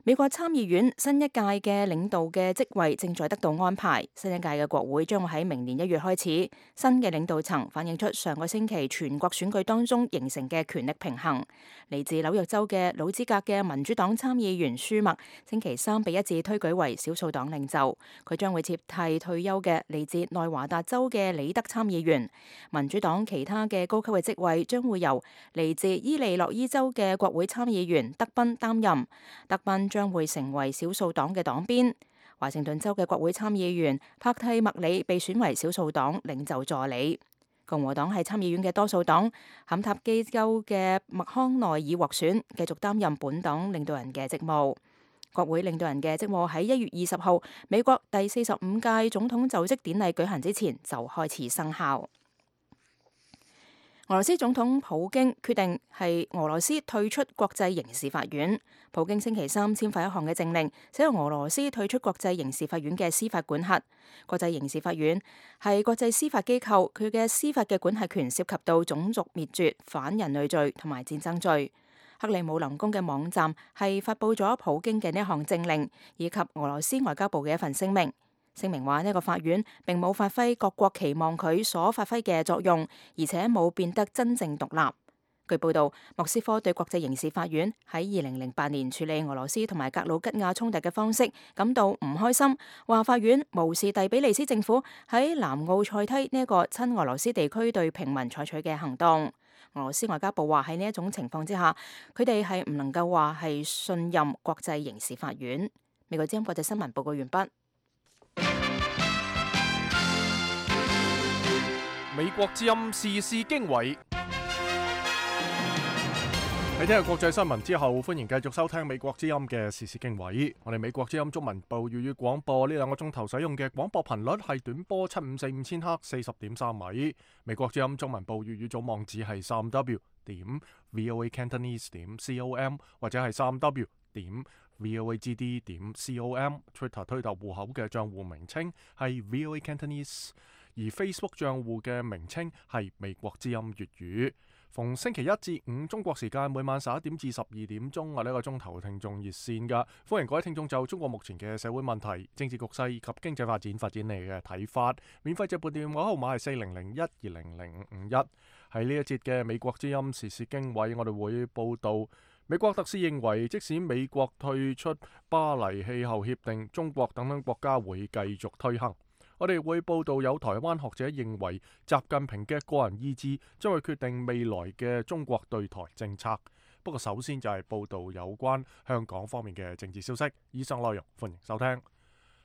C: 美國參議院新一屆嘅領導嘅職位正在得到安排，新一屆嘅國會將會喺明年1月開始。新嘅領導層反映出上個星期全國選舉當中形成嘅權力平衡。嚟自紐約州嘅老資格嘅民主黨參議員舒默星期三被一致推舉為少數黨領袖，佢將會接替退休嘅嚟自內華達州嘅李德參議員。民主黨其他嘅高級嘅職位將會由嚟自伊利諾伊州嘅國會參議員德賓擔任。德賓將會成為少數黨嘅黨鞭。華盛頓州嘅國會參議員帕蒂麥里被選為少數黨領袖助理。共和黨係參議院嘅多數黨，坎塔基州嘅麥康奈爾獲選，繼續擔任本黨領導人嘅職務。國會領導人嘅職務喺1月20號美國第45屆總統就職典禮舉行之前就開始生效。俄羅斯總統普京決定係俄羅斯退出國際刑事法院。普京星期三簽發一項嘅政令，使到俄羅斯退出國際刑事法院嘅司法管轄。國際刑事法院係國際司法機構，佢嘅司法嘅管轄權涉及到種族滅絕、反人類罪同埋戰爭罪。克里姆林宮嘅網站係發布咗普京嘅呢一項政令，以及俄羅斯外交部嘅一份聲明。聲明話呢個法院並冇發揮各國期望佢所發揮嘅作用，而且冇變得真正獨立。據報道，莫斯科對國際刑事法院喺2008年處理俄羅斯同埋格魯吉亞衝突嘅方式感到唔開心，話法院無視第比利斯政府喺南奧塞梯呢一個親俄羅斯地區對平民採取嘅行動。俄羅斯外交部話喺呢一種情況之下，佢哋係唔能夠話係信任國際刑事法院。美國之音國際新聞報告完畢。
A: 美國之音時事經緯。喺聽日國際新聞之後，歡迎繼續收聽美國之音嘅時事經緯。我哋美國之音中文部粵語廣播呢2個鐘頭使用嘅廣播頻率係短波7545千赫40.3米。美國之音中文部粵語組網址係3w.voacantonese.com 或者係3w.voagd.com。Twitter 推特戶口嘅賬戶名稱係 VOA Cantonese， 而 Facebook 賬戶嘅名稱係美國之音粵語。逢星期一至五中國時間每晚11點至12點鐘，我呢個鐘頭聽眾熱線㗎，歡迎各位聽眾就中國目前嘅社會問題、政治局勢以及經濟發展你嘅睇法。免費直撥電話號碼係4001200551。喺呢一節嘅美國之音時事經緯，我哋會報道美國特使認為，即使美國退出巴黎氣候協定，中國等國家會繼續推行。我哋會報道有台灣學者認為，習近平嘅個人意志將會決定未來嘅中國對台政策。不過首先就係報道有關香港方面嘅政治消息。以上內容歡迎收聽。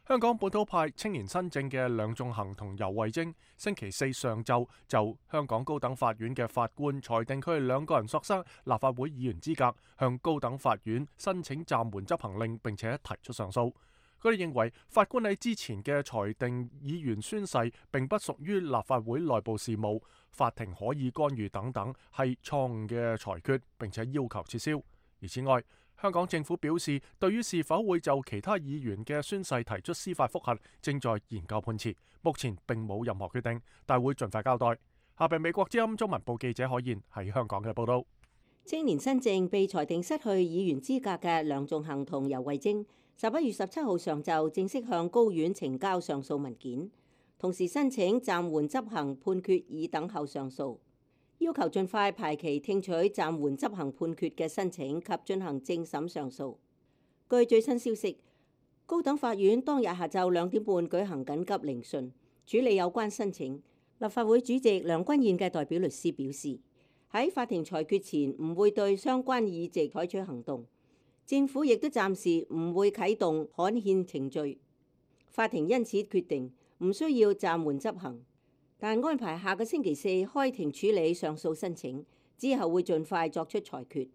A: 香港本土派青年新政嘅梁頌恆同游蕙禎星期四上晝就香港高等法院嘅法官裁定佢哋2個人索失立法會議員資格，向高等法院申請暫緩執行令，並且提出上訴。佢哋認為法官喺之前嘅裁定議員宣誓並不屬於立法會內部事務，法庭可以干預等等，係錯誤嘅裁決，並且要求撤銷。而此外，香港政府表示，對於是否會就其他議員嘅宣誓提出司法覆核，正在研究判詞，目前並冇任何決定，但會盡快交代。下邊美國之音中文部記者可燕喺香港嘅報道。
K: 青年新政被裁定失去議員資格嘅梁頌恆同游蕙禎11月17號上晝正式向高院呈交上訴文件，同時申請暫緩執行判決以等候上訴，要求盡快排期聽取暫緩執行判決嘅申請及進行正審上訴。據最新消息，高等法院當日下晝2點半舉行緊急聆訊，處理有關申請。立法會主席梁君彥嘅代表律師表示，喺法庭裁決前唔會對相關議席採取行動。政府亦都暫時唔會啟動刊憲程序，法庭因此決定唔需要暫緩執行，但安排下個星期四開庭處理上訴申請，之後會盡快作出裁決。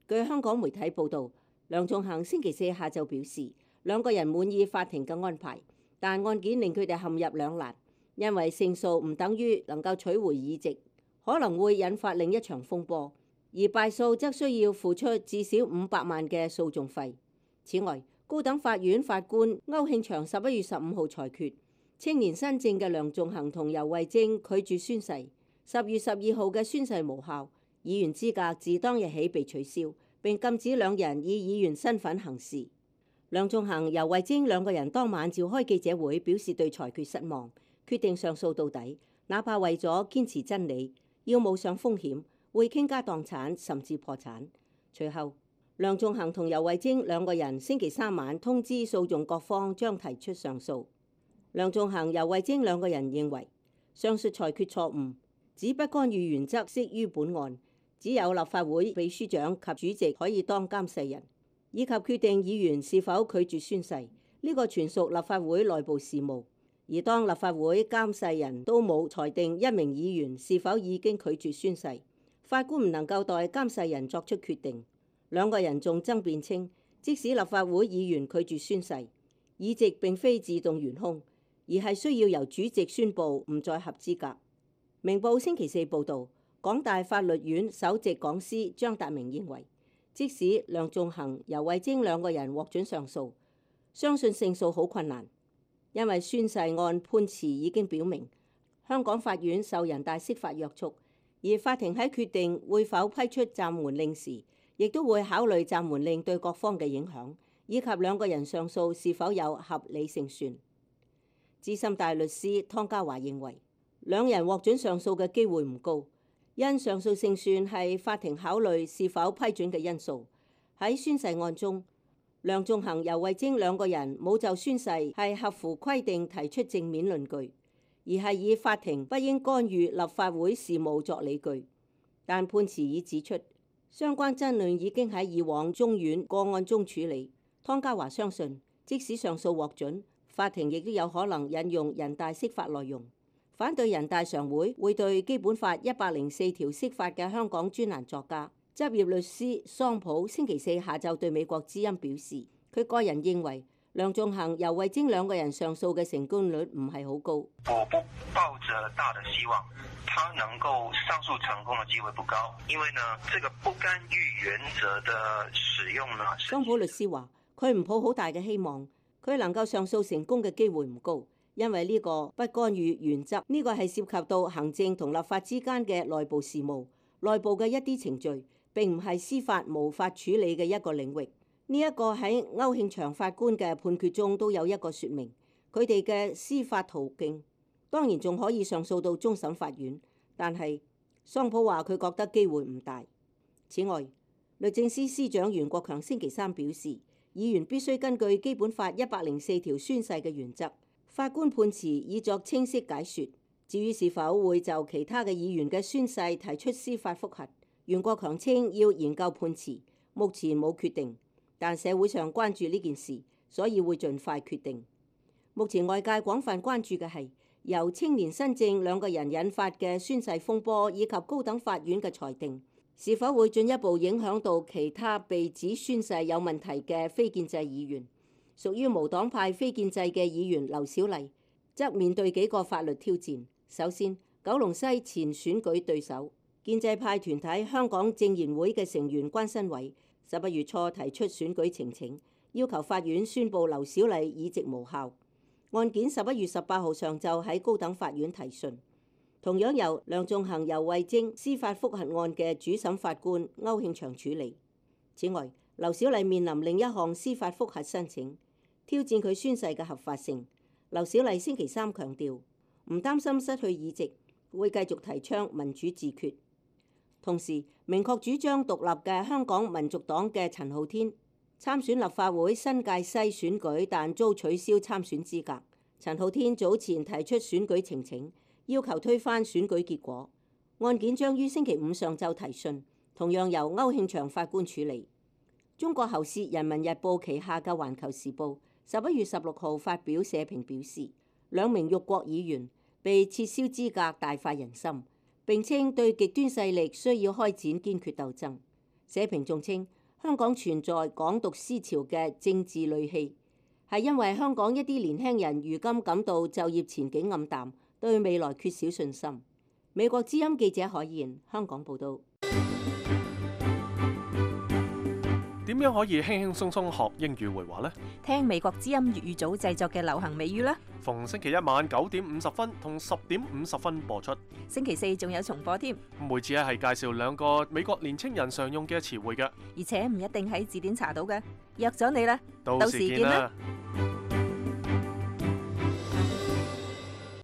K: 據香港媒體報導，梁頌恆星期四下晝表示，2個人滿意法庭嘅安排，但案件令佢哋陷入兩難，因為勝訴唔等於能夠取回議席，可能會引發另一場風波。而敗訴則需要付出至少500萬嘅訴訟費。此外，高等法院法官歐慶祥11月15號裁決，青年新政嘅梁頌恆同游蕙禎拒絕宣誓，10月12號嘅宣誓無效，議員資格自當日起被取消，並禁止2人以議員身份行事。梁頌恆、游蕙禎2個人當晚召開記者會，表示對裁決失望，決定上訴到底，哪怕為咗堅持真理，要冒上風險，會傾家蕩產甚至破產。隨後，梁頌恆同游蕙禎2個人星期3晚通知訴訟各方將提出上訴。梁頌恆、游蕙禎2個人認為上述裁決錯誤，指不干預原則適於本案，只有立法會秘書長及主席可以當監誓人，以及決定議員是否拒絕宣誓，呢個全屬立法會內部事務。而當立法會監誓人都冇裁定一名議員是否已經拒絕宣誓，法官唔能夠代監誓人作出決定。2個人仲爭辯稱，即使立法會議員拒絕宣誓，議席並非自動懸空，而係需要由主席宣佈唔再合資格。明報星期四報導，港大法律院首席講師張達明認為，即使梁頌恆、游蕙禎2個人獲准上訴，相信勝訴好困難，因為宣誓案判詞已經表明，香港法院受人大釋法約束。而法庭喺決定會否批出暫緩令時，亦都會考慮暫緩令對各方嘅影響，以及兩個人上訴是否有合理勝算。資深大律師湯家驊認為，兩人獲准上訴嘅機會唔高，因上訴勝算係法庭考慮是否批准嘅因素。喺宣誓案中，梁頌恆、游蕙禎兩個人冇就宣誓係合乎規定提出正面論據，而係以法庭不應干預立法會事務作理據。但判詞已指出，相關爭論已經喺以往中院個案中處理。湯家驊相信，即使上訴獲准，法庭亦都有可能引用人大釋法內容。反對人大常會會對基本法104條釋法嘅香港專欄作家、執業律師桑普星期四下晝對美國之音表示，佢個人認為梁頌恆、游蕙禎兩個人上訴嘅成功率唔係好高。
L: 我不抱着大的希望，他能夠上訴成功嘅機會不高，因為呢，這個不干預原則的使用呢。
K: 桑普律師話，佢唔抱好大嘅希望，佢能夠上訴成功嘅機會唔高。因為呢個不干預原則，呢個係涉及到行政同立法之間嘅內部事務，內部嘅一啲程序，並唔係司法無法處理嘅一個領域。呢一個喺歐慶祥法官嘅判決中都有一個説明，佢哋嘅司法途徑當然仲可以上訴到終審法院，但係桑普話佢覺得機會唔大。此外，律政司司長袁國強星期三表示，議員必須根據基本法104條宣誓嘅原則。法官判詞已作清晰解說。至於是否會就其他嘅議員嘅宣誓提出司法覆核，袁國強稱要研究判詞，目前冇決定，但社會上關注呢件事，所以會盡快決定。目前外界廣泛關注嘅係由青年新政兩個人引發嘅宣誓風波，以及高等法院嘅裁定，是否會進一步影響到其他被指宣誓有問題嘅非建制議員。屬於無黨派非建制嘅議員劉小麗則面對幾個法律挑戰。首先，九龍西前選舉對手建制派團體香港政研會嘅成員關新偉11月初提出選舉呈請，要求法院宣布劉小麗議席無效。案件11月18號上晝喺高等法院提訊，同樣由梁頌恆、游蕙禎司法覆核案嘅主審法官歐慶祥處理。此外，劉小麗面臨另一項司法覆核申請，挑戰佢宣誓嘅合法性。劉小麗星期三強調，唔擔心失去議席，會繼續提倡民主自決。同時，明確主張獨立嘅香港民族黨嘅陳浩天參選立法會新界西選舉，但遭取消參選資格。陳浩天早前提出選舉呈請，要求推翻選舉結果。案件將於星期五上晝提訊，同樣由歐慶祥法官處理。中國喉舌《人民日報》旗下嘅《環球時報》11月16號發表社評表示，兩名辱國議員被撤銷資格大快人心，並稱對極端勢力需要開展堅決鬥爭。社評仲稱香港存在港獨思潮嘅政治戾氣，係因為香港一啲年輕人如今感到就業前景暗淡，對未來缺少信心。美國之音記者海燕香港報導。
A: 點樣可以輕輕鬆鬆學英語會話呢？
J: 聽美國之音粵語組製作嘅流行美語啦！
A: 逢星期一晚9點50分同10點50分播出。
J: 星期四仲有重播添。
A: 每次係介紹兩個美國年青人常用嘅詞彙嘅，
J: 而且唔一定喺字典查到嘅。約咗你啦，
A: 到時見啦！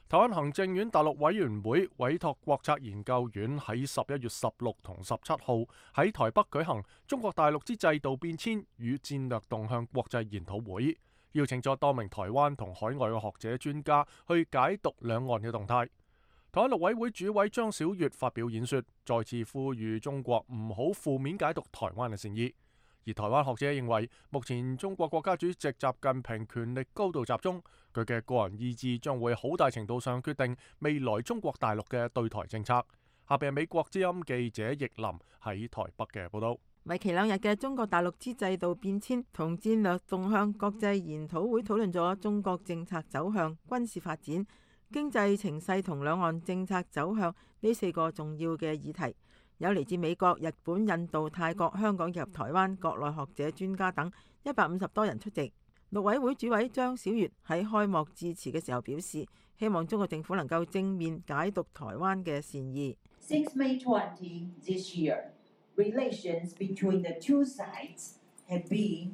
A: 台灣行政院大陸委員會委託國策研究院喺11月16同17號喺台北舉行中國大陸之制度變遷與戰略動向國際研討會，邀請咗多名台灣同海外嘅學者專家去解讀兩岸嘅動態。台灣陸委會主委張曉月發表演說，再次呼籲中國唔好負面解讀台灣嘅善意。而台灣學者認為，目前中國國家主席習近平權力高度集中，佢嘅個人意志將會好大程度上決定未來中國大陸嘅對台政策。下邊係美國之音記者易林喺台北嘅報道。
M: 為期2日嘅中國大陸之制度變遷同戰略動向國際研討會討論咗中國政策走向、軍事發展、經濟情勢同兩岸政策走向呢4個重要嘅議題。有嚟自美國、日本、印度、泰國、香港以及台灣國內學者專家等150多人出席。陸委會主委張曉月喺開幕致辭嘅時候表示，希望中國政府能夠正面解讀台灣嘅善意。
N: Since May 20 this year, relations between the two sides have been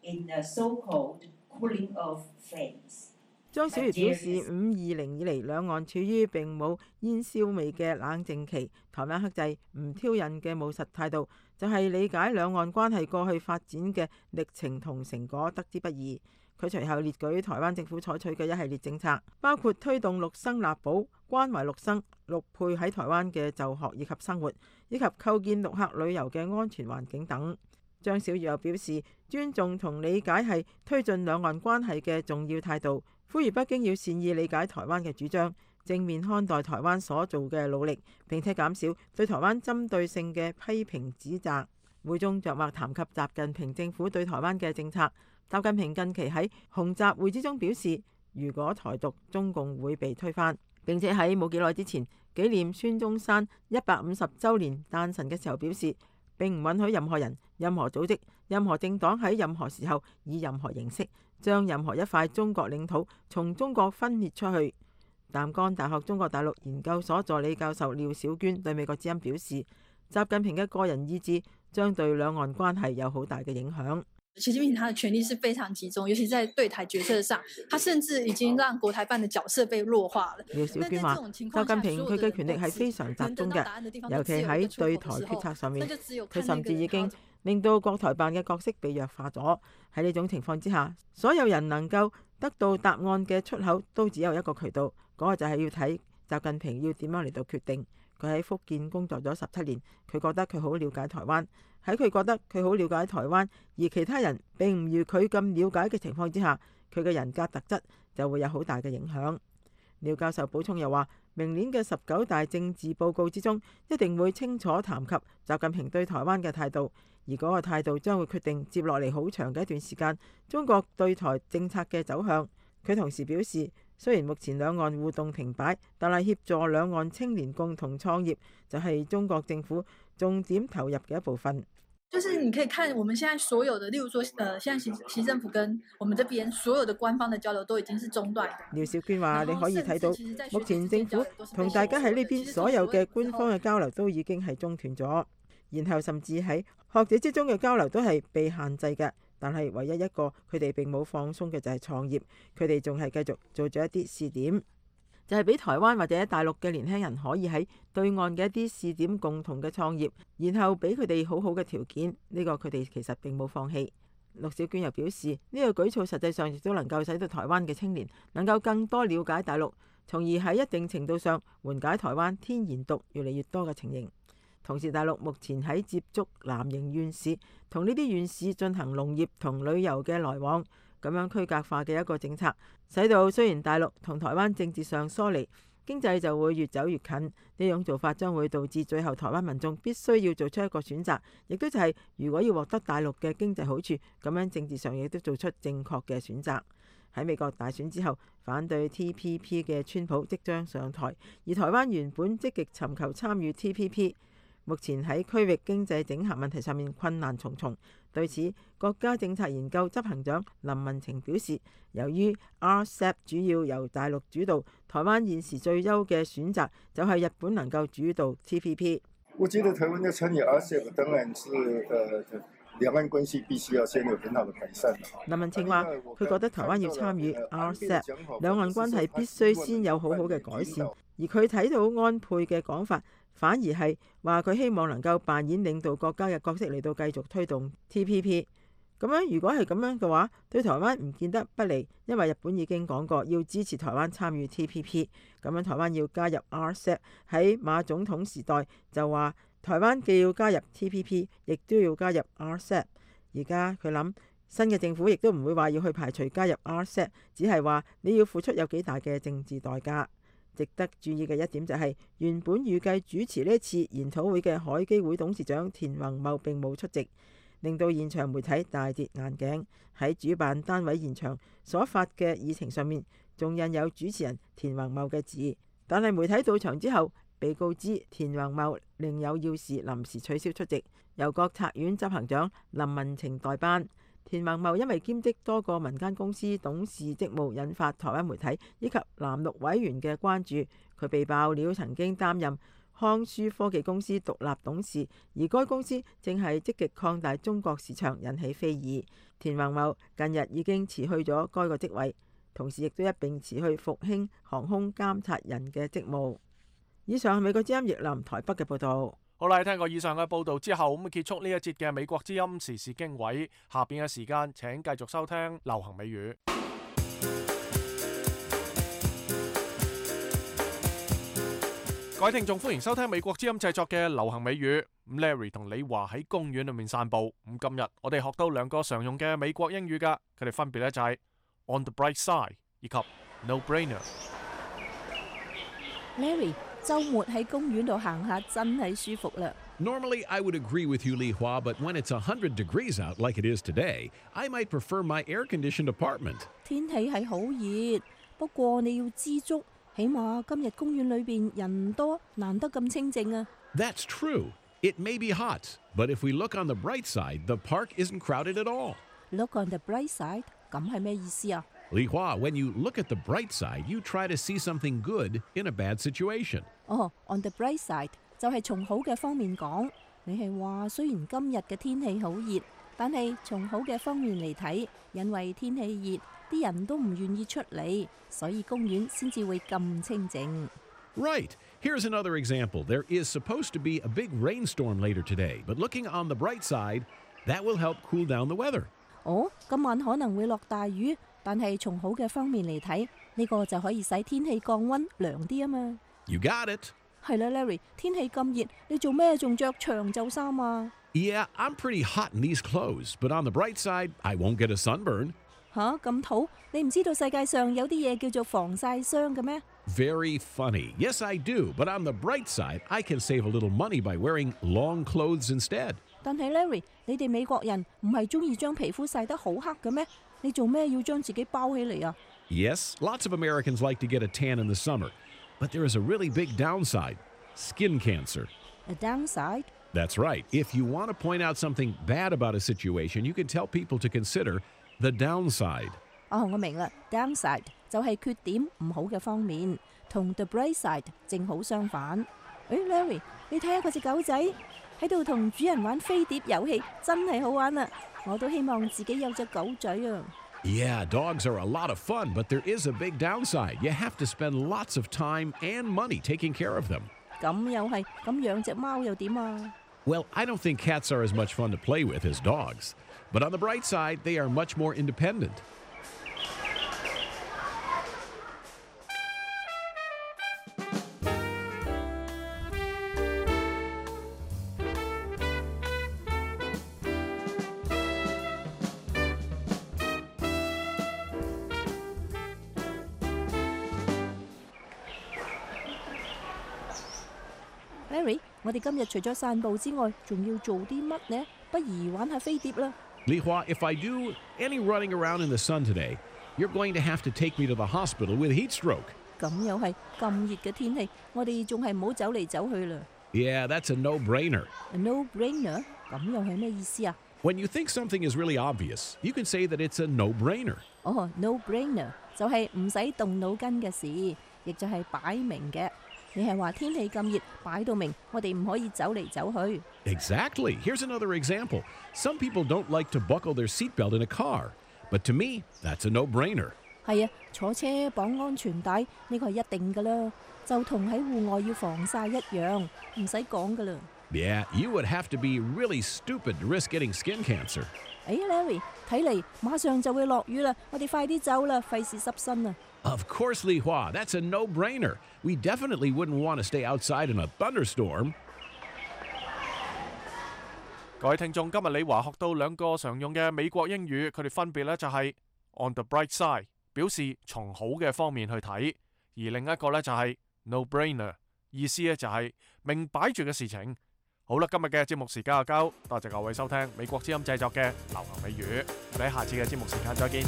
N: in a so-called cooling off phase。
M: 張小儀表示，520以嚟兩岸處於並冇煙硝味嘅冷靜期，台灣克制唔挑釁嘅務實態度，就係理解兩岸關係過去發展嘅歷程同成果得之不易。佢隨後列舉台灣政府採取嘅一系列政策，包括推動陸生立保、關懷陸生、陸配喺台灣嘅就學以及生活，以及構建陸客旅遊嘅安全環境等。張小儀又表示，尊重同理解係推進兩岸關係嘅重要態度，呼籲北京要善意理解台灣嘅主張，正面看待台灣所做嘅努力，並且減少對台灣針對性嘅批評指責。會中着墨談及習近平政府對台灣嘅政策。習近平近期喺洪習會之中表示，如果台獨，中共會被推翻。並且喺冇幾耐之前紀念孫中山150週年誕辰嘅時候表示，並唔允許任何人、任何組織、任何政黨喺任何時候以任何形式將任何一塊中國領土從中國分裂出去。淡江大學中國大陸研究所助理教授廖小娟對美國之音表示，習近平嘅個人意志將對兩岸關係有好大嘅影響。
O: 習近平他的權力是非常集中，尤其在對台決策上，他甚至已經讓國台辦的角色被弱化了。
M: 廖小娟話：習近平佢嘅權力係非常集中嘅，尤其喺對台決策上面，佢甚至已經令到國台辦嘅角色被弱化咗。喺呢種情況之下，所有人能夠得到答案嘅出口都只有一個渠道，嗰個就係要睇習近平要點樣嚟到決定。佢喺福建工作咗17年，佢覺得佢好了解台灣。喺佢覺得佢好了解台灣，而其他人並唔如佢咁了解嘅情況之下，佢嘅人格特質就會有好大嘅影響。廖教授補充又話，明年嘅19大政治報告之中，一定會清楚談及習近平對台灣嘅態度，而嗰個態度將會決定接落嚟好長嘅一段時間中國對台政策嘅走向。佢同時表示，雖然目前兩岸互動停擺，但係協助兩岸青年共同創業就係中國政府重點投入嘅一部分。
O: 就是你可以看我們現在所有的，例如說，現在習政府跟我們這邊所有的官方的交流都已經是中斷。
M: 廖小娟話：你可以睇到，目前政府同大家喺呢邊所有嘅官方嘅交流都已經係中斷咗，然後甚至喺學者之中嘅交流都係被限制嘅。但係唯一一個佢哋並冇放鬆嘅就係創業，佢哋仲係繼續做咗一啲試點，就係俾台灣或者大陸嘅年輕人可以喺對岸嘅一啲試點共同嘅創業，然後俾佢哋好好嘅條件。呢個佢哋其實並冇放棄。陸小娟又表示，呢個舉措實際上亦都能夠使到台灣嘅青年能夠更多了解大陸，從而喺一定程度上緩解台灣天然獨越嚟越多嘅情形。同時，大陸目前喺接觸南營縣市，同呢啲縣市進行農業同旅遊嘅來往，咁樣區隔化嘅一個政策，使到雖然大陸同台灣政治上疏離，經濟就會越走越近。呢種做法將會導致最後台灣民眾必須要做出一個選擇，亦都就係如果要獲得大陸嘅經濟好處，咁樣政治上亦都做出正確嘅選擇。喺美國大選之後，反對 TPP 嘅川普即將上台，而台灣原本積極尋求參與 TPP。目前喺區域經濟整合問題上面困難重重。對此，國家政策研究執行長林文晴表示，由於 RCEP 主要由大陸主導，台灣現時最優嘅選擇就係日本能夠主導 TPP。
P: 我覺得台灣要參與 RCEP，當然是兩岸關係必須要先有很好的改善。
M: 林文晴話：佢覺得台灣要參與 RCEP， 兩岸關係必須先有好好嘅改善。而佢睇到安倍嘅講法，反而係話佢希望能夠扮演領導國家嘅角色嚟到繼續推動 TPP。咁樣如果係咁樣嘅話，對台灣唔見得不利，因為日本已經講過要支持台灣參與 TPP。咁樣台灣要加入 RCEP， 喺馬總統時代就話台灣既要加入 TPP， 亦都要加入 RCEP。而家佢諗新嘅政府亦都唔會話要去排除加入 RCEP， 只係話你要付出有幾大嘅政治代價。值得注意嘅一點就係，原本預計主持呢次研討會嘅海基會董事長田宏茂並冇出席，令到現場媒體大跌眼鏡。喺主辦單位現場所發嘅議程上面，仲印有主持人田宏茂嘅字，但係媒體到場之後，被告知田宏茂另有要事，臨時取消出席，由國策院執行長林文晴代班。田宏茂因為兼職多個民間公司董事職務，引發台灣媒體以及藍綠委員嘅關注。佢被爆料曾經擔任康舒科技公司獨立董事，而該公司正係積極擴大中國市場，引起非議。田宏茂近日已經辭去咗該個職位，同時亦都一並辭去復興航空監察人嘅職務。以上係美國之音譯林台北嘅報導。
A: 好啦，聽過以上嘅報導之後，咁結束呢一節嘅美國之音時事經緯。下邊嘅時間請繼續收聽流行美語。各位聽眾，歡迎收聽美國之音製作嘅流行美語。Larry 同李華喺公園裏面散步。咁今日我哋學到兩個常用嘅美國英語㗎，佢哋分別咧就係 on the bright side 以及 no brainer。Larry，
I: 週末喺公園度行下真係舒服啦。
Q: Normally, I would agree with you, Li Hua, but when it's 100 degrees out like it is today, I might prefer my air-conditioned apartment.
I: 天氣係好熱，不過你要知足。起碼今日公園裏邊人多，難得咁清靜啊。
Q: That's true. It may be hot, but if we look on the bright side, the park isn't crowded at all.
I: Look on the bright side， 咁係咩意思啊？
Q: Li Hua, when you look at the bright side, you try to see something good in a bad situation.
I: On the bright side 就係從好嘅方面講。你係話雖然今日嘅天氣好熱，但係從好嘅方面嚟睇，因為天氣熱，啲人都唔願意出嚟，所以公園先至會咁清靜。
Q: Right. Here's another example. There is supposed to be a big rainstorm later today, but looking on the bright side, that will help cool down the weather.
I: 今晚可能會落大雨，但係從好嘅方面嚟睇，呢個就可以使天氣降溫涼啲啊嘛。
Q: You got it.
I: 係啦 ，Larry， 天氣咁熱，你做咩仲着長袖衫啊？
Q: Yeah, I'm pretty hot in these clothes, but on the bright side, I won't get a sunburn.
I: 咁土？你唔知道世界上有啲嘢叫做防曬霜嘅咩？
Q: Very funny. Yes, I do. But on the bright side, I can save a little money by wearing long clothes instead.
I: 但係 Larry， 你哋美國人唔係中意將皮膚曬得好黑嘅咩？你做咩要將自己包起嚟啊？
Q: Yes, lots of Americans like to get a tan in the summer. But there is a really big downside. Skin cancer.
I: A downside?
Q: That's right. If you want to point out something bad about a situation, you can tell people to consider the downside.
I: 我明啦 ，downside 就係缺點唔好嘅方面，同 the bright side 正好相反。Larry， 你睇下嗰隻狗仔喺度同主人玩飛碟遊戲，真係好玩啊！我都希望自己有隻狗仔啊。
Q: Yeah, dogs are a lot of fun, but there is a big downside. You have to spend lots of time and money taking care of them.
I: 咁又係，咁養隻貓又點啊？
Q: Well, I don't think cats are as much fun to play with as dogs. But on the bright side, they are much more independent.
I: Larry， 我哋今日除咗散步之外，仲要做啲乜呢？不如玩下飛碟啦。
Q: Li Hua, if I do any running around in the sun today, you're going to have to take me to the hospital with heat stroke.
I: 咁又係咁熱嘅天氣，我哋仲係唔好走嚟走去啦。
Q: Yeah, that's a no-brainer.
I: A no-brainer？ 咁又係咩意思啊？
Q: When you think something is really obvious, you can say that it's a no-brainer.
I: No-brainer 就係唔使動腦筋嘅事，亦就係擺明嘅。你係話天氣咁熱，擺到明，我哋唔可以走嚟走去。
Q: Exactly. Here's another example. Some people don't like to buckle their seatbelt in a car, but to me, that's a no-brainer.
I: 係啊，坐車綁安全帶呢個係一定㗎啦，就同喺戶外要防曬一樣，唔使講㗎啦。
Q: Yeah, you would have to be really stupid to risk getting skin cancer.
I: Larry， 睇嚟馬上就會落雨啦，我哋快啲走啦，費事濕身啊！
Q: Of course, Li Hua, that's a no-brainer. We definitely wouldn't want to stay outside in a thunderstorm.
A: 各位聽眾，今日李華學到兩個常用嘅美國英語，佢哋分別咧就係 on the bright side， 表示從好嘅方面去睇，而另一個咧就係 no-brainer， 意思咧就係明擺住嘅事情。好啦，今日嘅節目時間就夠，多謝各位收聽美國之音製作嘅流行美語，我哋喺下次嘅節目時間再見。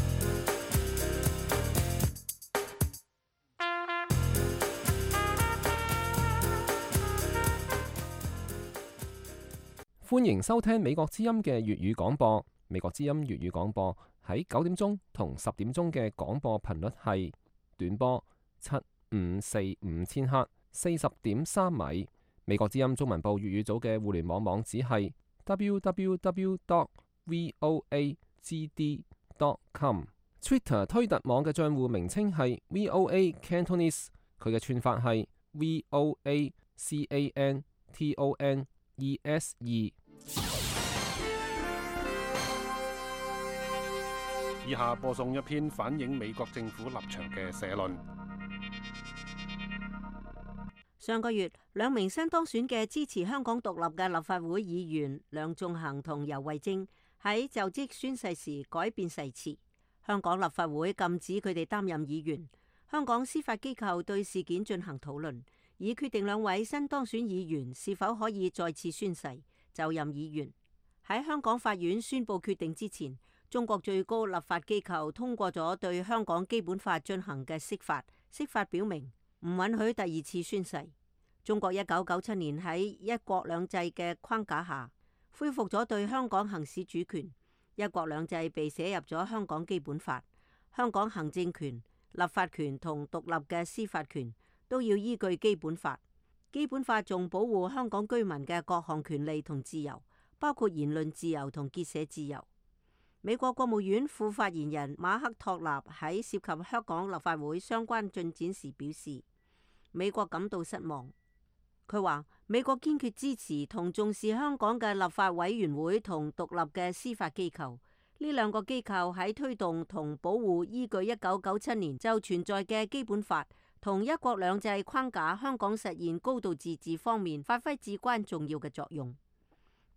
R: 歡迎收聽美國之音嘅粵語廣播。美國之音粵語廣播喺9點鐘同10點鐘嘅廣播頻率係短波7545千赫，40.3米。美國之音中文部粵語組嘅互聯網網址係 www.voagd.com。Twitter 推特網嘅帳戶名稱係 VOA Cantonese， 佢嘅串法係 VOACANTONESE。
E: 以下播送一篇反映美國政府立場嘅社論。
K: 上個月，兩名新當選嘅支持香港獨立嘅立法會議員梁頌恆同游蕙禎喺就職宣誓時改變誓詞，香港立法會禁止佢哋擔任議員。香港司法機構對事件進行討論，以決定兩位新當選議員是否可以再次宣誓就任議員。喺香港法院宣布決定之前，中國最高立法機構通過咗對香港基本法進行嘅釋法，釋法表明唔允許第二次宣誓。中國1997年喺一國兩制嘅框架下，恢復咗對香港行使主權，一國兩制被寫入咗香港基本法。香港行政權、立法權同獨立嘅司法權都要依據基本法。基本法仲保護香港居民嘅各項權利同自由，包括言論自由同結社自由。美國國務院副發言人馬克托納喺涉及香港立法會相關進展時表示，美國感到失望。佢話美國堅決支持同重視香港嘅立法委員會同獨立嘅司法機構，呢兩個機構喺推動同保護依據1997年就存在嘅基本法同一國兩制框架香港實現高度自治方面發揮至關重要嘅作用。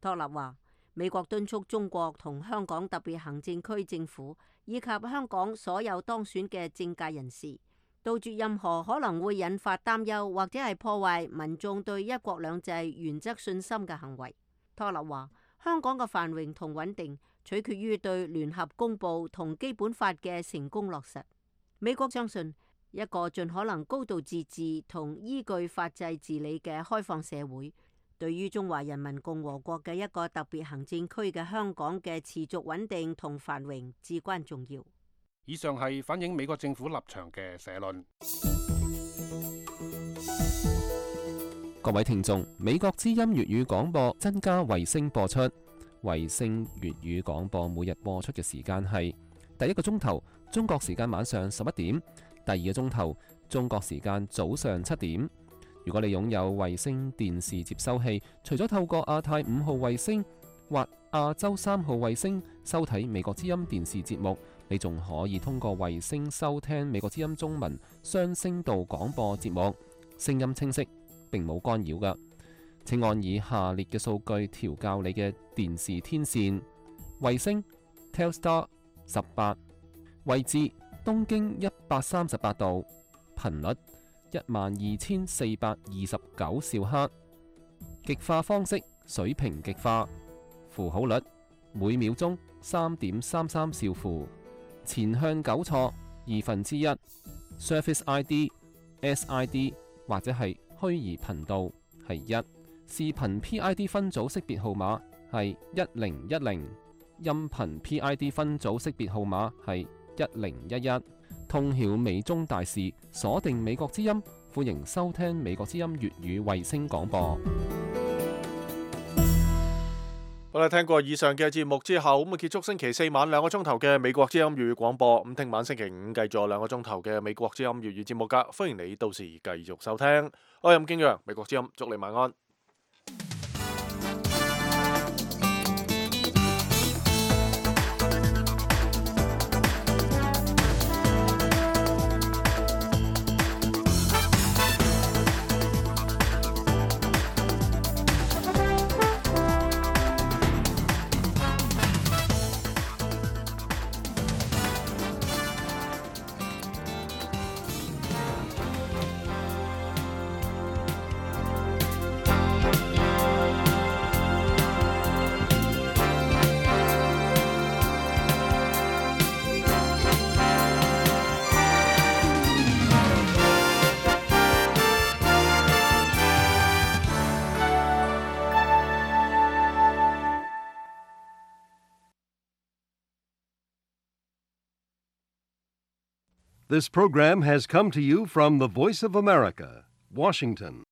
K: 托納話，美國敦促中國同香港特別行政區政府以及香港所有當選嘅政界人士，杜絕任何可能會引發擔憂或者係破壞民眾對一國兩制原則信心嘅行為。托納話，香港嘅繁榮同穩定取決於對聯合公佈同基本法嘅成功落實。美國相信一個盡可能高度自治同依據法制治理嘅開放社會，對於中華人民共和國嘅一個特別行政區嘅香港嘅持續穩定同繁榮至關重要。
E: 以上係反映美國政府立場嘅社論。
R: 各位聽眾，美國之音粵語廣播增加衛星播出，衛星粵語廣播每日播出嘅時間係第一個鐘頭中國時間晚上11點，第二個鐘頭中國時間早上7點。如果你擁有衛星電視接收器，除咗透過亞太5號衛星或亞洲3號衛星收睇美國之音電視節目，你仲可以通過衛星收聽美國之音中文雙聲道廣播節目，聲音清晰，並冇干擾㗎。請按以下列嘅數據調校你嘅電視天線：衛星 Telstar 18，位置東經138度，頻率12429兆赫，極化方式水平極化，符號率每秒鐘3.33兆符，前向糾錯1/2， Surface ID、SID 或者係虛擬頻道係1，視頻 PID 分組識別號碼係1010，音頻 PID 分組識別號碼係1011。通曉美中大事，鎖定美國之音，歡迎收聽美國之音粵語衛星廣播。
A: 好啦，聽過以上嘅節目之後，咁啊結束星期四晚2個鐘頭嘅美國之音粵語廣播。咁聽晚星期五繼續2個鐘頭嘅美國之音粵語節目噶，歡迎你到時繼續收聽。我係任敬陽，美國之音，祝你晚安。
S: This program has come to you from the Voice of America, Washington.